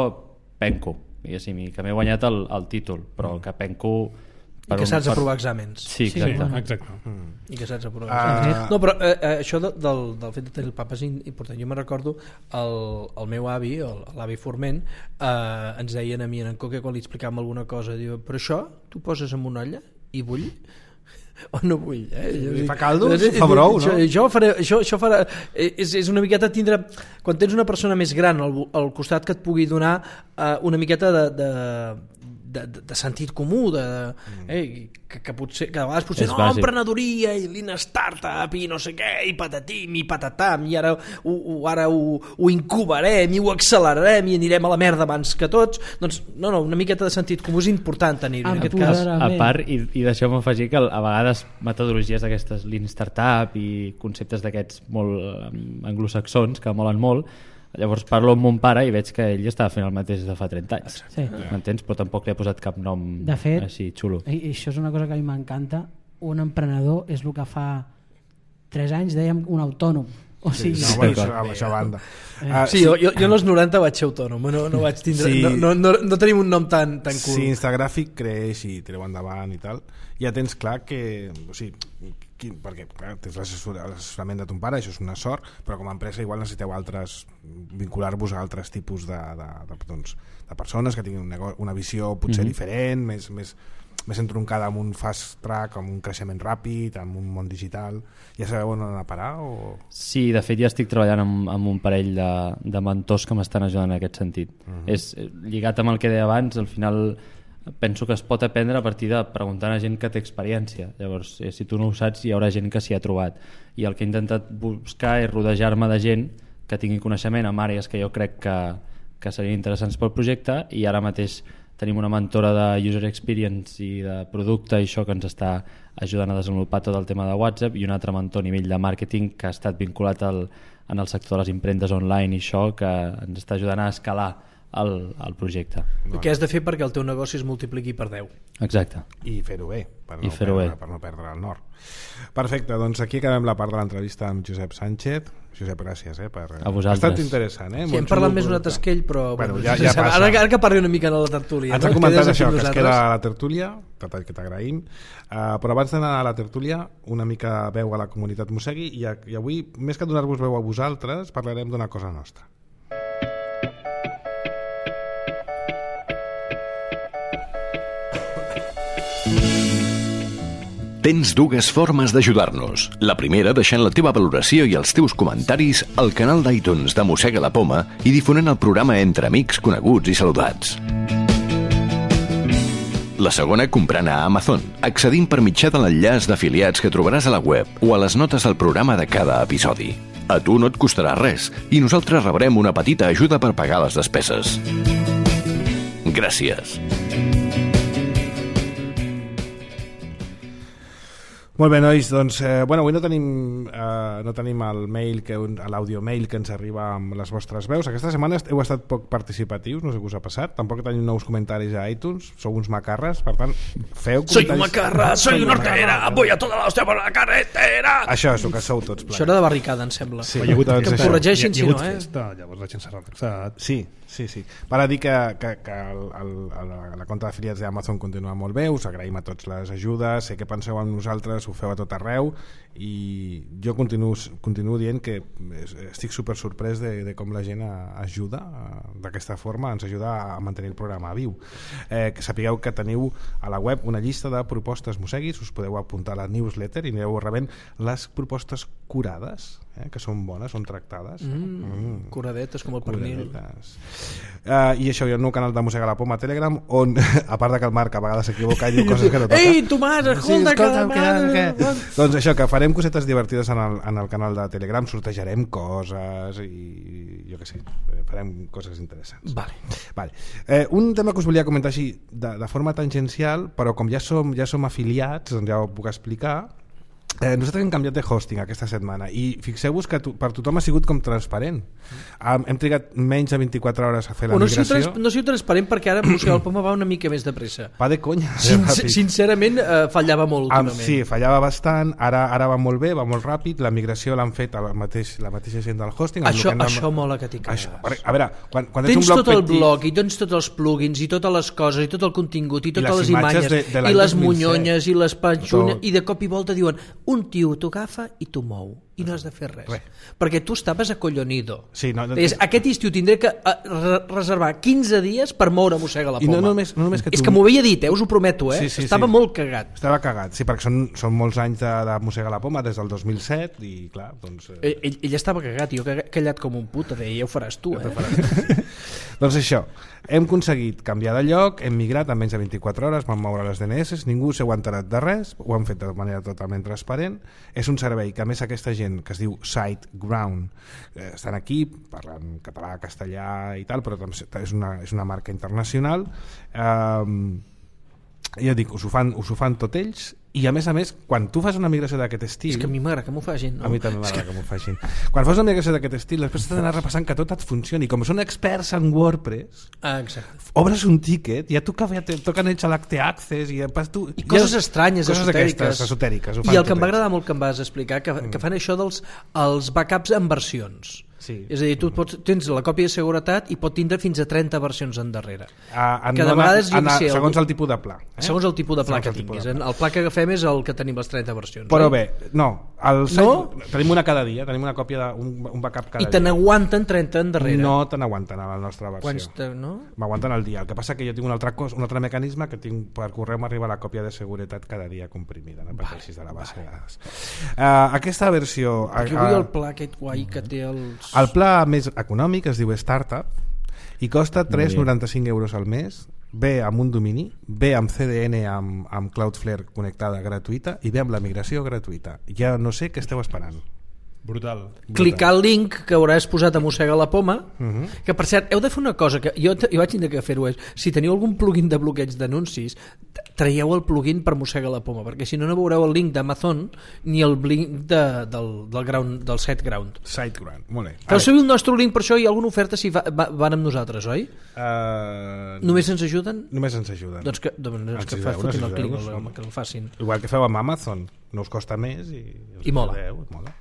penco, diguéssim, que m'he guanyat el, el títol, però que penco... I que saps aprovar exàmens. Sí, exacte. Sí, bueno. exacte. Mm. I que saps aprovar Uh, exàmens. No, però eh, eh, això de, del, del fet de tenir el papa és important. Jo me'n recordo el, el meu avi, l'avi Forment, eh, ens deien a mi en Coque quan li explicàvem alguna cosa, diu, però això tu poses en una olla i bull? O no vull, eh? Si fa caldo, fa brou, no? Això, això, faré, això, això farà, és, és una miqueta tindre, quan tens una persona més gran al, al costat que et pugui donar uh, una miqueta de, de, de, de sentit comú, de, eh, que, que potser que a vegades potser És no, bàsic. emprenedoria i lean startup i no sé què, i patatim i patatam, i ara ho, ho, ara ho, ho incubarem i ho accelerarem i anirem a la merda abans que tots. Doncs no, no, una miqueta de sentit comú és important tenir-ho en aquest cas. A part, i, i deixeu-me afegir que a vegades metodologies d'aquestes lean startup i conceptes d'aquests molt um, anglosaxons que molen molt, llavors parlo amb mon pare i veig que ell estava fent el mateix de fa trenta anys. Sí. M'entens? Però tampoc li ha posat cap nom de fet, així xulo. I, i això és una cosa que a mi m'encanta. Un emprenedor és el que fa tres anys dèiem un autònom. O sigui, no, bueno, això, això a banda. Uh, Sí, jo, jo, jo en els noranta vaig ser autònom, no, no vaig tindre, Sí. no, no, no, no tenim un nom tan, tan cool. Si Instagràfic creix i tireu endavant i tal, ja tens clar que, o sigui, quin, perquè clar, tens l'assessor- l'assessorament de ton pare, això és una sort, però com a empresa igual necessiteu altres, vincular-vos a altres tipus de, de, de, doncs, de persones que tinguin un nego- una visió potser Mhm. diferent, més, més, més entroncada amb un fast track, amb un creixement ràpid, amb un món digital. Ja sabeu on anar a parar? O... Sí, de fet ja estic treballant amb, amb un parell de, de mentors que m'estan ajudant en aquest sentit. Mhm. És lligat amb el que deia abans, al final penso que es pot aprendre a partir de preguntar a gent que té experiència. Llavors, eh, si tu no ho saps, hi haurà gent que s'hi ha trobat. I el que he intentat buscar és rodejar-me de gent que tingui coneixement en àrees que jo crec que, que serien interessants pel projecte, i ara mateix tenim una mentora de user experience i de producte i això que ens està ajudant a desenvolupar tot el tema de WhatsApp, i un altre mentor a nivell de màrqueting que ha estat vinculat al, en el sector de les impremtes online i això, que ens està ajudant a escalar el, el projecte. Bueno. Què has de fer perquè el teu negoci es multipliqui per deu? Exacte. I fer-ho bé, per I no, fer-ho perdre, bé. per no perdre el nord. Perfecte, doncs aquí acabem la part de l'entrevista amb Josep Sánchez. Josep, gràcies, eh, per... A vosaltres. Ha estat interessant, eh? Sí, hem parlat més una tasquell, però... Bueno, bueno, ja, ja passa. Ara, ara que parli una mica a la tertúlia. Ens ha no? comentat Quedes això, aquí que es nosaltres. queda a la tertúlia, detall que t'agraïm, uh, però abans d'anar a la tertúlia, una mica veu a la comunitat Mossegui, i, a, i avui, més que donar-vos veu a vosaltres, parlarem d'una cosa nostra. Tens dues formes d'ajudar-nos. La primera, deixant la teva valoració i els teus comentaris al canal d'iTunes de Mossega la Poma i difonent el programa entre amics, coneguts i saludats. La segona, comprant a Amazon, accedint per mitjà de l'enllaç d'afiliats que trobaràs a la web o a les notes del programa de cada episodi. A tu no et costarà res i nosaltres rebrem una petita ajuda per pagar les despeses. Gràcies. Molt bé, nois, doncs eh, bueno, avui no tenim, eh, no tenim el mail, que l'àudio mail que ens arriba amb les vostres veus. Aquesta setmana heu estat poc participatius, no sé què us ha passat. Tampoc tenim nous comentaris a iTunes, sou uns macarres, per tant, feu comentaris. Soy un macarra, soy una hortera, voy a toda la hostia por la carretera. Això és el que sou tots plans. Això era de barricada, em sembla. Sí, Hi ha hagut, doncs que em això. corregeixin hi ha, hi si ha no, hagut eh? festa, llavors la gent s'ha relaxat. Sí, sí, sí. Per a dir que, que, que el, el, el, la compte d'afiliats d'Amazon continua molt bé, us agraïm a tots les ajudes, sé que penseu en nosaltres, ho feu a tot arreu, i jo continuo, continuo dient que estic super sorprès de, de com la gent ajuda d'aquesta forma, ens ajuda a mantenir el programa viu. Eh, que sapigueu que teniu a la web una llista de propostes mosseguis, us podeu apuntar a la newsletter i anireu rebent les propostes curades, eh, que són bones, són tractades. Mm, mm. Curadetes com el pernil. Uh, I això, hi ha un nou canal de Mossega la Poma a Telegram, on, a part de que el Marc a vegades s'equivoca i diu coses que no toca. Ei, Tomàs, escolta, sí, que... que, que... Doncs això, que farem cosetes divertides en el, en el canal de Telegram, sortejarem coses i jo què sé, farem coses interessants. Vale. Vale. Eh, un tema que us volia comentar així de, de forma tangencial, però com ja som, ja som afiliats, doncs ja ho puc explicar. Eh, nosaltres hem canviat de hosting aquesta setmana i fixeu-vos que to, per tothom ha sigut com transparent. Um, hem trigat menys de vint-i-quatre hores a fer la no migració. Trans, no sigui transparent perquè ara Mossega la Poma va una mica més de pressa. Va de conya. Sin, sincerament eh, fallava molt um, últimament. Sí, fallava bastant, ara, ara va molt bé, va molt ràpid, la migració l'han fet a la, mateix, la mateixa gent del hosting. Això, hem de... això mola que t'hi quedes. A veure, quan, quan tens ets un blog tot el petit... blog i tens tots els plugins i totes les coses i tot el contingut i totes I les les imatges de, de i les dos mil set. munyonyes i les panxunes tot. I de cop i volta diuen un tio t'ho agafa i t'ho mou i no has de fer res, res. Perquè tu estaves acollonido. Sí, no, no, Deies, aquest estiu tindré que uh, reservar quinze dies per moure Mossega la Poma. I no només, no només que tu... És que m'ho havia dit, eh, us ho prometo, eh? Sí, sí, estava sí. molt cagat. Estava cagat, sí, perquè són, són molts anys de, de Mossega la Poma, des del dos mil set i clar, doncs... Eh... Ell, ell, ell estava cagat i jo callat com un puta, deia, ja ho faràs tu, eh? Doncs això, hem aconseguit canviar de lloc, hem migrat en menys de vint-i-quatre hores, vam moure les D N S, ningú s'ho ha enterat de res, ho han fet de manera totalment transparent. És un servei que a més aquesta gent que es diu SiteGround eh, estan aquí, parlant català, castellà i tal, però és una, és una marca internacional. Eh, ja dic, us ho fan, us ho fan tot ells. I a més a més, quan tu fas una migració d'aquest estil... És que a mi m'agrada que m'ho facin, no? A mi també m'agrada que, que m'ho facin. Quan fas una migració d'aquest estil, després t'has d'anar repassant que tot et funcioni. Com són experts en WordPress, ah, exacte. obres un tiquet, ja toca, ja toquen ells a l'Acte Access i, tu, i coses ja, estranyes, coses esotèriques. esotèriques I el que em va agradar molt que em vas explicar, que, mm. que fan això dels els backups en versions. Sí. És a dir, tu pots, tens la còpia de seguretat i pot tindre fins a trenta versions endarrere. Uh, que de vegades en, sé, segons algú... el tipus de pla. Eh? Segons el tipus de pla segons que tinguis. El pla que agafem és el que tenim les trenta versions. Però oi? bé, no. El site, no? Tenim una cada dia, tenim una còpia de, un, un backup cada I te dia. n'aguanten trenta endarrere. No te n'aguanten a la nostra versió. Quants te, no? M'aguanten el dia. El que passa que jo tinc un altre, cos, un altre mecanisme que tinc per correu m'arriba la còpia de seguretat cada dia comprimida, no pateixis de la base de dades. Uh, aquesta versió... Perquè vull el pla aquest guai que té els... El pla més econòmic es diu Startup i costa tres coma noranta-cinc euros al mes, bé amb un domini, bé amb C D N amb, amb Cloudflare connectada gratuïta i bé amb la migració gratuïta. Ja no sé què esteu esperant. Brutal. Clicar el link que hauràs posat a Mossega la Poma, Uh -huh. que per cert, heu de fer una cosa que jo, jo vaig tindre que fer-ho, és si teniu algun plugin de bloqueig d'anuncis, traieu el plugin per Mossega la Poma, perquè si no no veureu el link d'Amazon ni el link de, del, del, ground, del SiteGround. SiteGround, molt bé. Feu servir el nostre link per això, hi ha alguna oferta si va, va, van amb nosaltres, oi? Uh, Només ens ajuden? Només ens ajuden. Doncs que, doncs que Ens fa, ajudeu, fotin ens el clic, ajudeu, home, que el facin. Igual que feu amb Amazon, no us costa més i, I mola. Ajudeu, mola.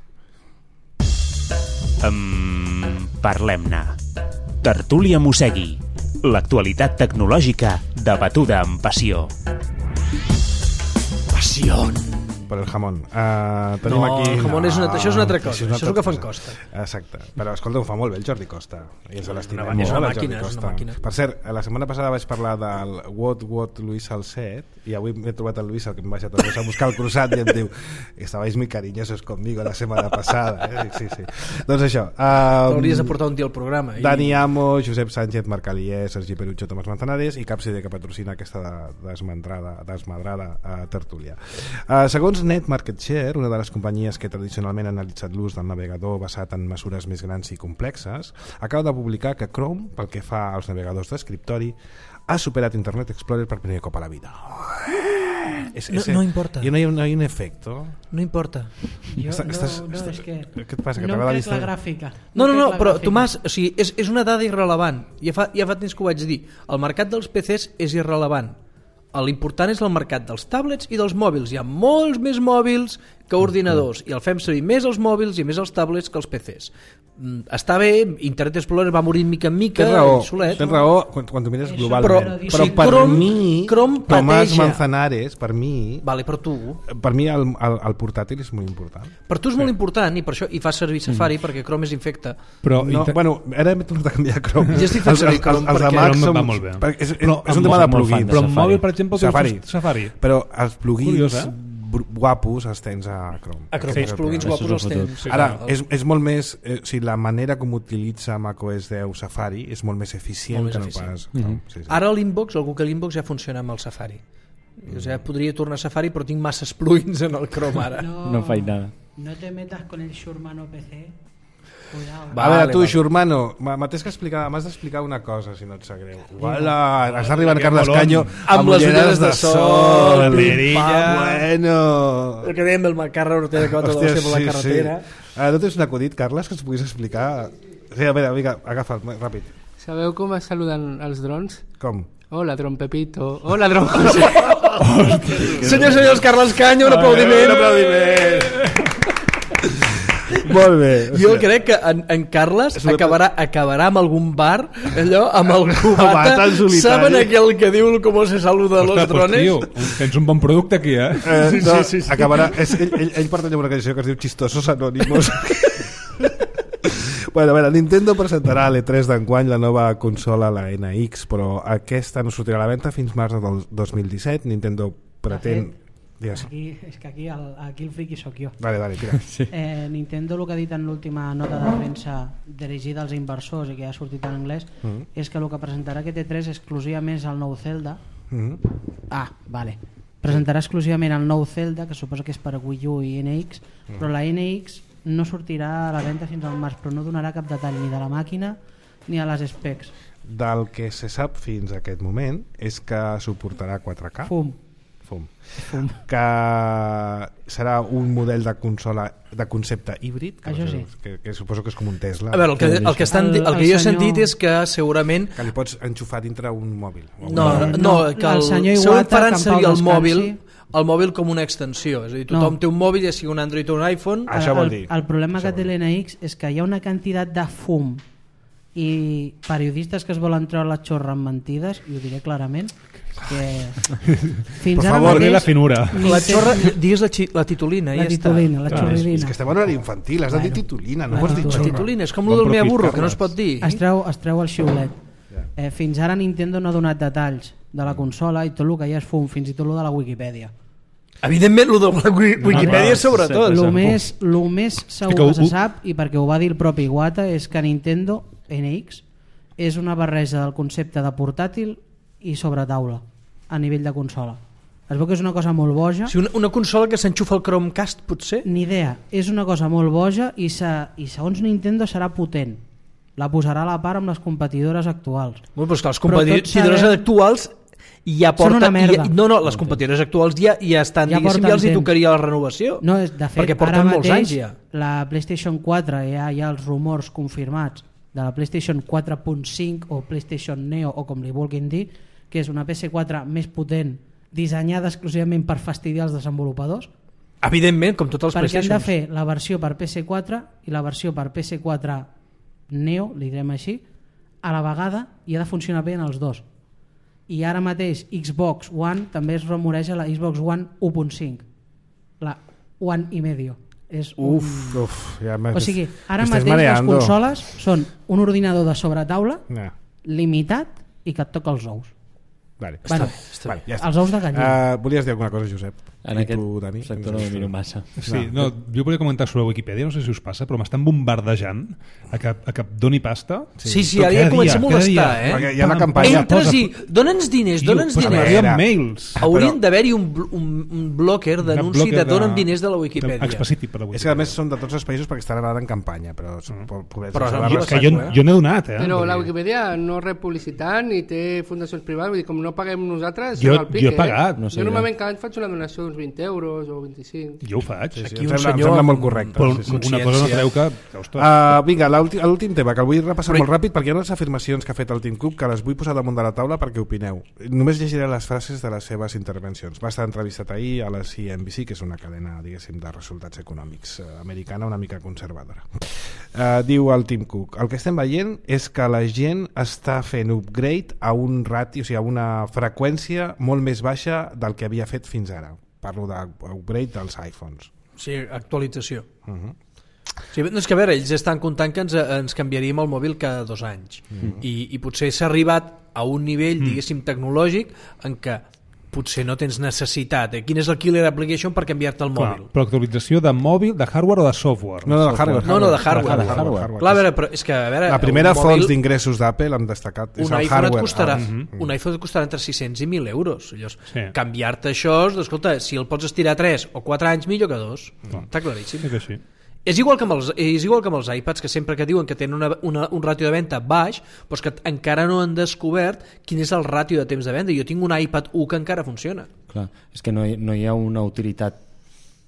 Um, Parlem-ne. Tertúlia Mossegui. L'actualitat tecnològica debatuda amb passió. Passió. Per el jamón. Uh, tenim No, aquí... el jamón és una- això és una altra cosa, Això és, una això és el que altra fan cosa. Costa. Exacte. Però escolta, ho fa molt bé el Jordi Costa. I ens l'estimem Una molt, màquina, el és una Jordi màquina, és Costa. una màquina. Per cert, la setmana passada vaig parlar del What What Luis Salcet i avui m'he trobat el Luis, el que em vaig a a buscar el cruzat i em diu estabais muy cariñosos conmigo la setmana passada. Eh? Sí, sí. Doncs això. Um, Hauries de portar un dia al programa. I... Dani Amo, Josep Sánchez, Marc Alier, Sergi Perucho, Tomàs Manzanares i Capside, que patrocina aquesta de, desmadrada, desmadrada uh, tertúlia. Uh, segons Net Market Share, una de les companyies que tradicionalment ha analitzat l'ús del navegador basat en mesures més grans i complexes, acaba de publicar que Chrome, pel que fa als navegadors d'escriptori, ha superat Internet Explorer per primer cop a la vida. Es, No- no importa. I no hi ha, no hi ha un efecto. No importa. Jo, Està- no, estàs- no, estàs- és que què et passa, que no t'agrada em la crec la vista? gràfica. No, no, em no, crec la però gràfica. Tomàs, o sigui, és, és una dada irrelevant. Ja fa, ja fa temps que ho vaig dir. El mercat dels P Cs és irrelevant. L'important és el mercat dels tablets i dels mòbils. Hi ha molts més mòbils que ordinadors i el fem servir més els mòbils i més els tablets que els P Cs. Mm, Està bé, Internet Explorer va morir mica en mica, Tens raó, solet. tens raó quan, quan tu mires Això, globalment. però- Però, o sigui, per Chrome- mi, Chrome Tomàs pateja. Manzanares, per mi, Vale, per tu. per mi el, el, el portàtil és molt important. Per tu és molt important i per això hi fas servir Safari perquè Chrome és infecte. Però No, inter- bueno, ara hem tornat a canviar Chrome. Jo estic fent servir Chrome els, els, perquè- de Mac Chrome són, va molt bé. perquè És, és, Però és un amb tema de molt- molt fan plugins. de però amb Safari. mòbil, per exemple, Safari. Safari. Safari. Però els plugins Curiós, eh? br- guapos els tens a Chrome. A Chrome, Sí, els plugins això guapos és el els futur. tens. Sí, Ara, clar. és, és molt més... Eh, o sigui, la manera com utilitza macOS deu Safari és molt més eficient Molt més que no eficient. pas... Mhm. Chrome. Sí, sí. Ara l'Inbox, algú que l'Inbox ja funciona amb el Safari. O sigui, podria tornar a Safari, però tinc masses plugins en el Chrome ara. No faig nada. No te metas con el Shurmano P C. Cuidado. Va, a veure, Vale, tu, vale. Xurmano, m'has que explicar, m'has d'explicar una cosa, si no et sap greu. Uala, està arribant que Carles molón. Caño Amb les ulleres de sol, pim, perilla. pam, bueno. El que dèiem el Macarra Ortega que va tot Hòstia, per la carretera. Sí. Ah, no tens un acudit, Carles, que ens puguis explicar? Sí, a veure, vinga, agafa'l, ràpid. Sabeu com es saluden els drons? Com? Hola, dron Pepito. Hola, dron José. Senyors, senyors, Carles Caño, un aplaudiment. Un aplaudiment. Molt bé. Jo crec que en, en Carles És una- acabarà, acabarà amb algun bar, allò, amb el Bata cubata. en solitari. Saben aquell que diu com se saluda a los Ostres, pues, drones? tio, tens un bon producte aquí, eh? Eh, Sí, no, sí, sí, sí. Acabarà, és, ell, ell, ell pertany a una cançó que es diu Chistosos Anònimos. Bueno, a veure, Nintendo presentarà a l'E tres d'enguany la nova consola, la N X, però aquesta no sortirà a la venda fins març del dos mil disset. Nintendo pretén... Digues. Aquí, és que aquí el, aquí el friqui sóc jo. Vale, vale, tira. Eh, Nintendo el que ha dit en l'última nota de premsa dirigida als inversors i que ja ha sortit en anglès Mhm. és que el que presentarà aquest E tres exclusivament és el nou Zelda. Mhm. Ah, vale. Presentarà exclusivament el nou Zelda, que suposa que és per Wii U i N X, però la N X no sortirà a la venda fins al març, però no donarà cap detall ni de la màquina ni a les specs. Del que se sap fins a aquest moment és que suportarà quatre K. Fum. Fum. Fum. Que serà un model de consola de concepte híbrid, que, Això no sé, sí. que, que suposo que és com un Tesla, A veure, el que, el que, estan, El- el que el jo he senyor- sentit és que segurament que li pots enxufar dintre un mòbil. o un no, mòbil. no, No, que el el, senyor segurament Iwata, faran que en servir pau el descansi. mòbil el mòbil com una extensió, és a dir, tothom No. té un mòbil, ja sigui un Android o un iPhone. Ah, això vol dir. El, el problema Això que vol té dir. l'N X és que hi ha una quantitat de fum i periodistes que es volen treure la xorra amb mentides, i ho diré clarament, que fins Per ara favor, Té la mateix finura. La xorra, digues la, xi- la titulina, la ja titulina, la Clar, És xorrerina que estem en horari infantil, has de dir Bueno. titulina, no Bueno, pots dir està. La xorra. titulina, és com Bon el del mea profit, burro, que no Carles. es pot dir. es treu, es treu el xiulet. Ja. eh, fins ara Nintendo no ha donat detalls de la consola i tot el que hi ha és fum, fins i tot el de la Wikipedia. Evidentment, el de la Wi- Wikipedia clar, sobretot. sí, El sí. més, lo més segur que que, ho- se sap, i perquè ho va dir el propi Iwata, és que Nintendo N X és una barreja del concepte de portàtil i sobre taula a nivell de consola. Es veu que és una cosa molt boja. Sí, una, una consola que s'enxufa al Chromecast, potser? Ni idea. És una cosa molt boja i, se, i segons Nintendo serà potent. La posarà a la part amb les competidores actuals. Bueno, però és que les competidores sabem... actuals ja porten... Són una merda. Ja, no, no, les competidores actuals ja, ja estan, ja diguéssim, ja els hi tocaria la renovació. No, de fet, perquè porten molts anys ja. La PlayStation quatre hi ha, hi ha els rumors confirmats de la PlayStation quatre punt cinc o PlayStation Neo o com li vulguin dir, que és una P S quatre més potent dissenyada exclusivament per fastidiar els desenvolupadors. Evidentment, com tots els perquè PlayStations. Han de fer la versió per P S quatre i la versió per P S quatre Neo, li direm així, a la vegada, i ha de funcionar bé en els dos. I ara mateix Xbox One també es rumoreja la Xbox One u punt cinc, la One i medio. És un... Uf, uf, ja o sigui, ara mateix les consoles són un ordinador de sobretaula no. limitat i que et toca els ous. Vale. Bueno, està, vale, ja està. Els ous de gallina. Uh, volies dir alguna cosa, Josep? En I aquest tu, Dani? sector no ho miro massa. Sí, no, jo volia comentar sobre Wikipedia, no sé si us passa, però m'estan bombardejant a que, a que doni pasta. Sí, sí, sí ara ja comença a molestar, eh? Perquè hi ha la campanya. Entres i dona'ns diners, dona'ns diners. Hi ha mails. Haurien d'haver-hi un, un, un blocker d'anunci de dona'm diners de la Wikipedia. Específic per la Wikipedia. És que a més són de tots els països perquè estan ara en campanya, però... Mm. però jo, que jo, jo n'he donat, eh? Però la Wikipedia no rep publicitat ni té fundacions privades, vull dir, com no paguem nosaltres... Jo, jo he pagat. No sé, jo normalment cada any faig una donació d'uns vint euros o vint-i-cinc. Jo ho faig. Sí, sí, Aquí em, un sembla, senyor em sembla molt correcte. Però sí, sí. una cosa no treu que... que uh, vinga, l'últim tema, que el vull repassar però... molt ràpid perquè hi ha unes afirmacions que ha fet el Tim Cook que les vull posar damunt de la taula perquè opineu. Només llegiré les frases de les seves intervencions. Va estar entrevistat ahir a la C N B C, que és una cadena, diguéssim, de resultats econòmics uh, americana, una mica conservadora. Uh, diu el Tim Cook: el que estem veient és que la gent està fent upgrade a un rati, o sigui, a una freqüència molt més baixa del que havia fet fins ara. Parlo d'upgrade dels iPhones. Sí, actualització. Uh -huh. Sí, no, és que a veure, ells estan comptant que ens, ens canviaríem el mòbil cada dos anys. Uh -huh. I, i potser s'ha arribat a un nivell, diguéssim, tecnològic en què potser no tens necessitat. Eh? Quin és el killer application per canviar-te el Clar, mòbil? Però actualització de mòbil, de hardware o de software? No, no, de hardware. No, no, de hardware. De hardware, hardware. Clar, a veure, però és que, a veure, la primera un font mòbil, d'ingressos d'Apple han destacat és un el iPhone hardware. et costarà, Ah, uh-huh. un iPhone et costarà entre sis-cents i mil euros. Llavors, sí. canviar-te això, escolta, si el pots estirar tres o quatre anys, millor que dos. Uh-huh. Està claríssim. És així. És igual que amb els, és igual que amb els iPads, que sempre que diuen que tenen una, una, un ràtio de venda baix, però que encara no han descobert quin és el ràtio de temps de venda. Jo tinc un iPad u que encara funciona. Clar, és que no hi, no hi ha una utilitat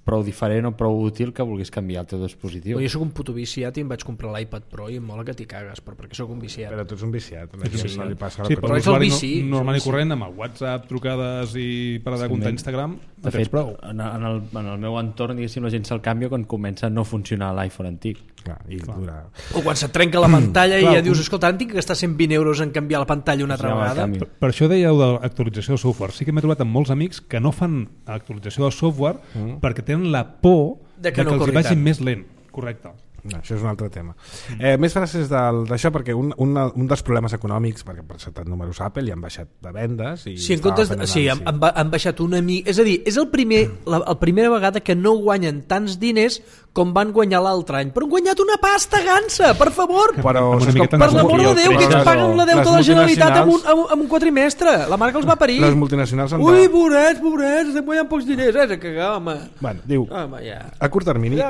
prou diferent o prou útil que vulguis canviar el teu dispositiu. Però jo sóc un puto viciat i em vaig comprar l'iPad Pro i em mola que t'hi cagues, però perquè sóc un viciat. Però tu ets un viciat, a la gent Sí, no li passa sí, la però Però és el l'usuari vici, no, normal és i el vici. corrent amb el WhatsApp, trucades i per de comptar Instagram, De fet, en, en, el, en el meu entorn, diguéssim, la gent se'l canvia quan comença a no funcionar l'iPhone antic. Clar, i dura... O quan se't trenca la pantalla i Clar, ja dius, un- escolta, ara tinc que gastar cent vint euros en canviar la pantalla una altra Ja me'l vegada. canvio. Per, per això dèieu de l'actualització del software. Sí que m'he trobat amb molts amics que no fan actualització del software mm. perquè tenen la por De de que que, no els corri hi vagi tant. més lent. Correcte. No, això és un altre tema. Eh, més frases del- d'això, perquè un, un, un dels problemes econòmics, perquè per presentat números Apple i han baixat de vendes i Sí, en estava comptes fent de, sí, han, anàlisi. han, ba- han baixat una mica... És a dir, és el primer, la, la primera vegada que no guanyen tants diners com van guanyar l'altre any. Però han guanyat una pasta gansa, per favor! Però, Amb una saps miqueta com- Per més l'amor de Jo Déu, crec que que ens paguen la les deuta de la Generalitat amb un, multinacionals- amb, un- amb un quadrimestre. La marca els va parir. Les multinacionals han de... Ui, pobrets, pobrets, estem guanyant pocs diners. Eh? De cagar, home. Bueno, diu, Home, ja. a curt termini,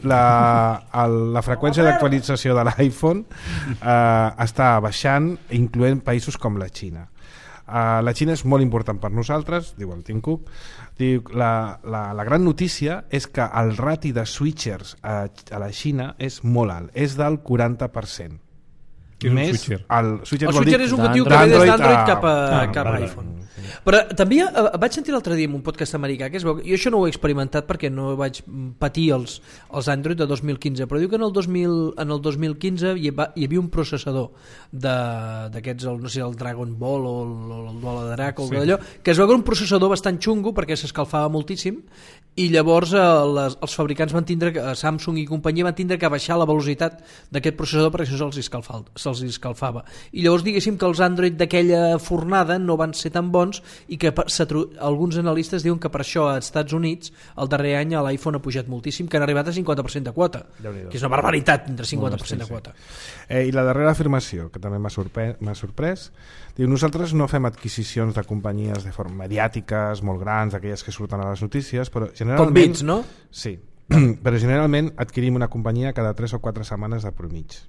la, el, la freqüència d'actualització de l'iPhone eh, està baixant, incloent països com la Xina. Uh, la Xina és molt important per nosaltres, diu el Tim Cook. Diu, la, la, la gran notícia és que el rati de switchers a, a la Xina és molt alt, és del quaranta per cent. Què és un Més switcher? El switcher, El vol switcher dir és un motiu que ve des d'Android d'Android a- cap a, Ah, cap a vale. iPhone. Però també eh, vaig sentir l'altre dia en un podcast americà que es veu, jo això no ho he experimentat perquè no vaig patir els, els Android de dos mil quinze, però diu que en el dos mil, en el dos mil quinze hi, va, hi havia un processador de- d'aquests, no sé, el Dragon Ball o el, el Dual de Drac o Sí. allò, que es veu que era un processador bastant xungo perquè s'escalfava moltíssim i llavors eh, les, els fabricants van tindre, que- Samsung i companyia van tindre que baixar la velocitat d'aquest processador perquè això se'ls escalfava, se'ls escalfava. I llavors diguéssim que els Android d'aquella fornada no van ser tan bons bons i que per, alguns analistes diuen que per això als Estats Units el darrer any l'iPhone ha pujat moltíssim, que han arribat a cinquanta per cent de quota, que és una barbaritat entre cinquanta per cent de quota. Eh, I la darrera afirmació, que també m'ha sorprès, m'ha sorprès, diu, nosaltres no fem adquisicions de companyies de forma mediàtiques, molt grans, aquelles que surten a les notícies, però generalment... Com Bits, no? Sí, però generalment adquirim una companyia cada tres o quatre setmanes de promig.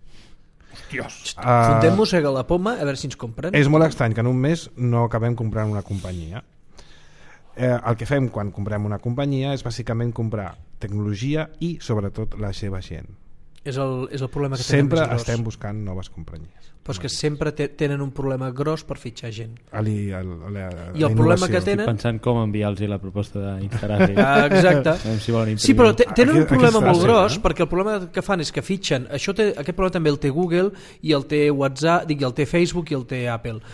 Hòsties! Uh, Fontem mossega la poma a veure si ens compren. És molt estrany que en un mes no acabem comprant una companyia. Eh, el que fem quan comprem una companyia és bàsicament comprar tecnologia i sobretot la seva gent. És el, és el problema que tenen Sempre més gros. estem buscant noves companyies. Però és que sempre te, tenen un problema gros per fitxar gent. Ali, el, la, I el problema que tenen... Estic pensant com enviar-los la proposta d'Instagram. Ah, exacte. Si volen sí, però te, tenen aquí, un problema molt fàcil, gros, eh? perquè el problema que fan és que fitxen, això té, aquest problema també el té Google i el té WhatsApp, dic, el té Facebook i el té Apple.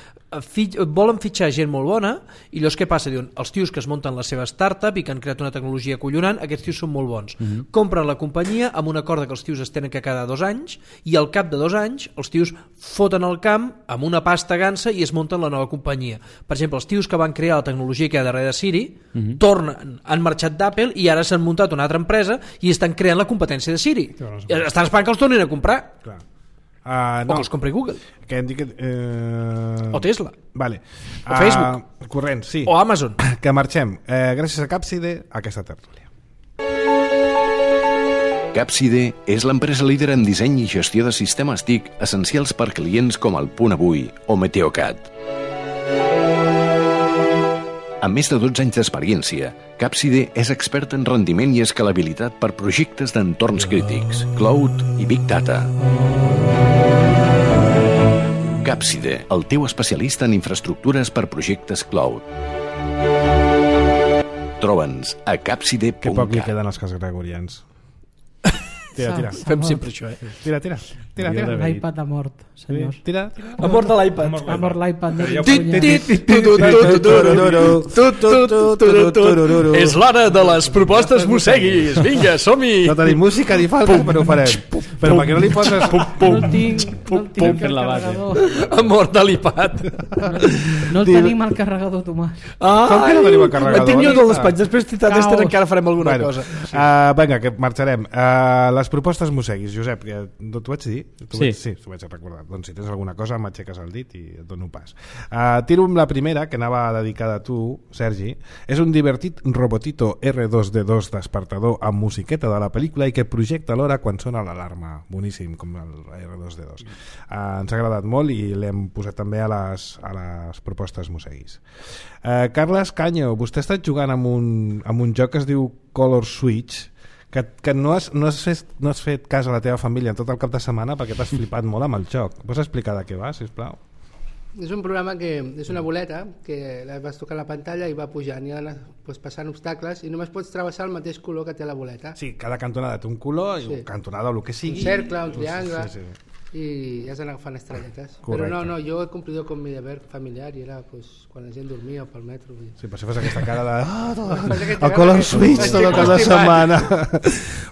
Fit, volen fitxar gent molt bona i llavors què passa? Diuen, els tios que es munten la seva startup i que han creat una tecnologia collonant, aquests tios són molt bons. Mm-hmm. Compren la companyia amb un acord que els tios es tenen que cada dos anys i al cap de dos anys els tios foten el camp amb una pasta gansa i es munten la nova companyia. Per exemple, els tios que van crear la tecnologia que hi ha darrere de Siri mm-hmm. tornen, han marxat d'Apple i ara s'han muntat una altra empresa i estan creant la competència de Siri. Estan esperant que els tornin a comprar. Clar. Uh, no. O que els compri Google. Que hem dit que, uh... O Tesla. Vale. O Facebook. Uh, corrent, sí. O Amazon. Que marxem. Uh, gràcies a Capside, a aquesta tertúlia. Capside és l'empresa líder en disseny i gestió de sistemes T I C essencials per clients com el Punt Avui o Meteocat. Amb més de dotze anys d'experiència, Capside és expert en rendiment i escalabilitat per projectes d'entorns crítics, cloud i big data. Capside, el teu especialista en infraestructures per projectes cloud. Troba'ns a capside punt cat. Que poc li queden als cas gregorians. Tira, tira. Fem sempre això, eh? Tira, tira. Tira, tira. L'iPad ha mort, senyors. Tira, tira. Ha mort de l'iPad. Ha mort l'iPad. És l'hora de les propostes mosseguis. Vinga, som-hi. No tenim música ni falta, però ho farem. Però per què no li poses... No el tinc, no el tinc el la base. carregador. Ha mort de l'iPad. No el tenim al carregador, Tomàs. Com que no tenim el carregador? El tinc jo del despatx. Després, d'Ester, encara farem alguna Bueno, cosa. uh, vinga, que marxarem. Uh, les propostes mosseguis, Josep, que no t'ho vaig dir? T'ho Sí. Vaig, sí, t'ho vaig recordar. Doncs si tens alguna cosa m'aixeques el dit i et dono pas. Uh, tiro amb la primera, que anava dedicada a tu, Sergi. És un divertit robotito erre dos de dos despertador amb musiqueta de la pel·lícula i que projecta l'hora quan sona l'alarma. Boníssim, com el erre dos de dos. Uh, ens ha agradat molt i l'hem posat també a les, a les propostes mosseguis. Uh, Carles Canyo, vostè ha estat jugant amb un, amb un joc que es diu Color Switch, que, que no, has, no, has fet, no has fet cas a la teva família en tot el cap de setmana perquè t'has flipat molt amb el joc. Pots explicar de què va, sisplau? És un programa que és una boleta que la vas tocar a la pantalla i va pujant i anar pues, passant obstacles i només pots travessar el mateix color que té la boleta. Sí, cada cantonada té un color, sí. Cantonada o el que sigui. Un cercle, un triangle, sí, sí. i has d'anar agafant estrelletes. Correcte. Però no, no, jo he cumplido con mi deber familiar i era pues, quan la gent dormia pel metro. I... Sí, per si fas aquesta cara de... Oh, el el Color Switch tot el cap de setmana. setmana.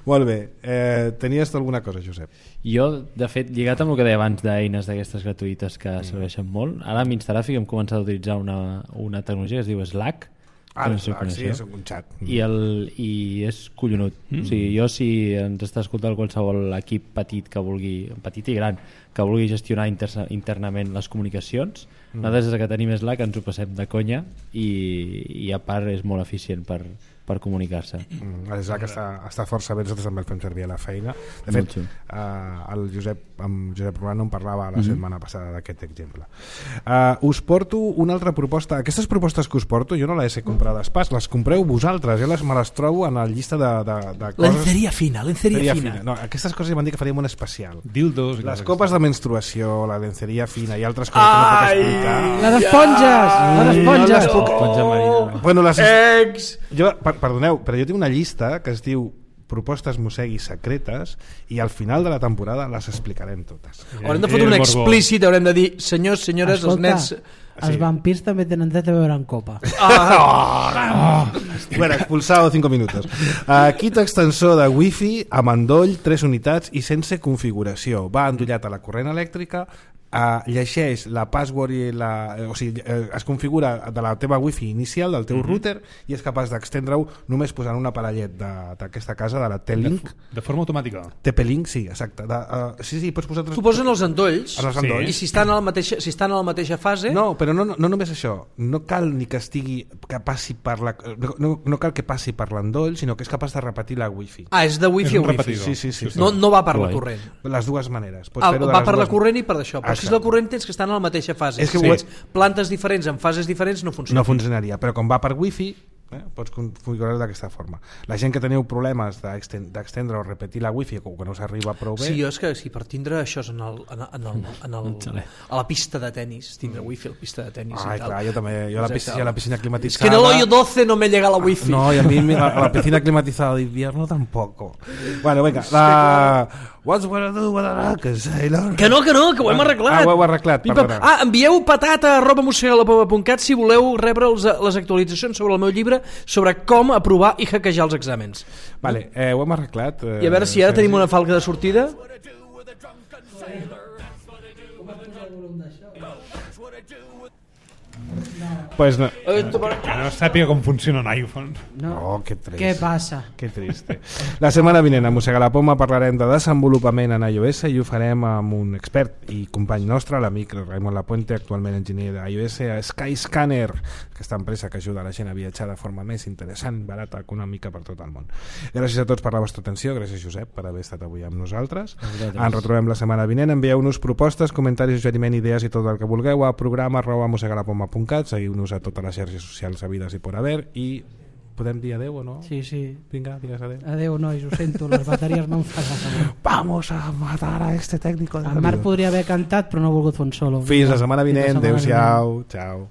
Molt bé. Eh, tenies alguna cosa, Josep? Jo, de fet, lligat amb el que deia abans d'eines d'aquestes gratuïtes que mm. serveixen molt, ara amb Instagraphic hem començat a utilitzar una, una tecnologia que es diu Slack. Ah, no sé Slack, sí, és un xat. I, el, i és collonut. Mm. O sigui, jo, si ens està escoltant qualsevol equip petit que vulgui, petit i gran, que vulgui gestionar inter internament les comunicacions, mm. nosaltres des que tenim Slack ens ho passem de conya i, i a part és molt eficient per, per comunicar-se. Mm, el Slack està, està força bé, nosaltres també el fem servir a la feina. De fet, uh, el Josep, amb Josep Romano em parlava la mm -hmm. setmana passada d'aquest exemple. Uh, us porto una altra proposta. Aquestes propostes que us porto jo no les he comprades pas, les compreu vosaltres, jo les, me les trobo en la llista de, de, de coses... Lenceria fina, lenceria fina. fina. No, aquestes coses van dir que faríem un especial. Dildos. Les copes de menstruació, la lenceria fina i altres coses que no puc explicar. Les esponges! Les esponges! No les puc... Esponja marina. Bueno, les... Ex! Jo, per, perdoneu, però jo tinc una llista que es diu propostes mosseguis secretes i al final de la temporada les explicarem totes. Haurem de fotre un explícit, haurem de dir senyors, senyores, Escolta, els nens... els sí. vampirs també tenen dret a beure en copa. Ah. Oh. Bueno, expulsado cinco minutos. Uh, kit extensor de wifi amb endoll, tres unitats i sense configuració. Va endollat a la corrent elèctrica, Uh, llegeix la password i la, o sigui, uh, es configura de la teva wifi inicial del teu mm-hmm. router i és capaç d'extendre-ho només posant un aparellet d'aquesta casa, de la T-Link de, de forma automàtica. T P-Link, sí, exacte de, uh, sí, sí, pots posar tres... Tu posen els endolls, els endolls. I si estan, a la mateixa, si estan a la mateixa fase... No, però no, no, no només això, no cal ni que estigui que passi per la, no, no, no cal que passi per l'endoll, sinó que és capaç de repetir la wifi. Ah, és de wifi a wifi. Sí, sí, sí, sí. No, no va per la corrent. Les dues maneres. Pots ah, fer-ho de va les per dues... la corrent i per això, però si és la corrent tens que estar en la mateixa fase. És que si sí. plantes diferents en fases diferents no funciona. No funcionaria, però com va per wifi, eh, pots configurar-ho d'aquesta forma. La gent que teniu problemes d'extendre o repetir la wifi o que no s'arriba prou bé... Sí, jo és que si per tindre això en, el, en, el, en, el, en el, a la pista de tennis, tindre wifi a la pista de tennis Ai, i tal. Clar, jo també, jo a la piscina, a la piscina climatitzada... Es que en el hoyo doce no me llega la wifi. No, y a mí a la piscina climatizada de invierno tampoco. Bueno, venga, la... What's gonna do with a rocket, sailor? Que no, que no, que ho hem arreglat. Ah, ho heu arreglat, perdona. Ah, envieu patata arroba mosegalapoma punt cat si voleu rebre els, les actualitzacions sobre el meu llibre sobre com aprovar i hackejar els exàmens. Vale, eh, ho hem arreglat. Eh, I a veure si ara tenim una falca de sortida. Pues no. Que no sàpiga com funciona un iPhone. No. Oh, que trist. Què passa? Que triste. La setmana vinent a Mossega la Poma parlarem de desenvolupament en iOS i ho farem amb un expert i company nostre, l'amic Raimon Lapuente, actualment enginyer d'iOS a Skyscanner, aquesta empresa que ajuda la gent a viatjar de forma més interessant, barata, econòmica per tot el món. Gràcies a tots per la vostra atenció, gràcies Josep per haver estat avui amb nosaltres. Ens retrobem la setmana vinent, envieu-nos propostes, comentaris, suggeriment, idees i tot el que vulgueu a programa arroba mosegalapoma punt cat, seguiu-nos a totes les xarxes socials habides i por haver i podem dir adeu o no? Sí, sí. Vinga, digues adeu. Adeu, nois, ho sento, les bateries m'han fallat. Vamos a matar a este técnico de el Marc podria haver cantat però no ha volgut fer un solo. Fins la setmana vinent, adeu-siau, ciao.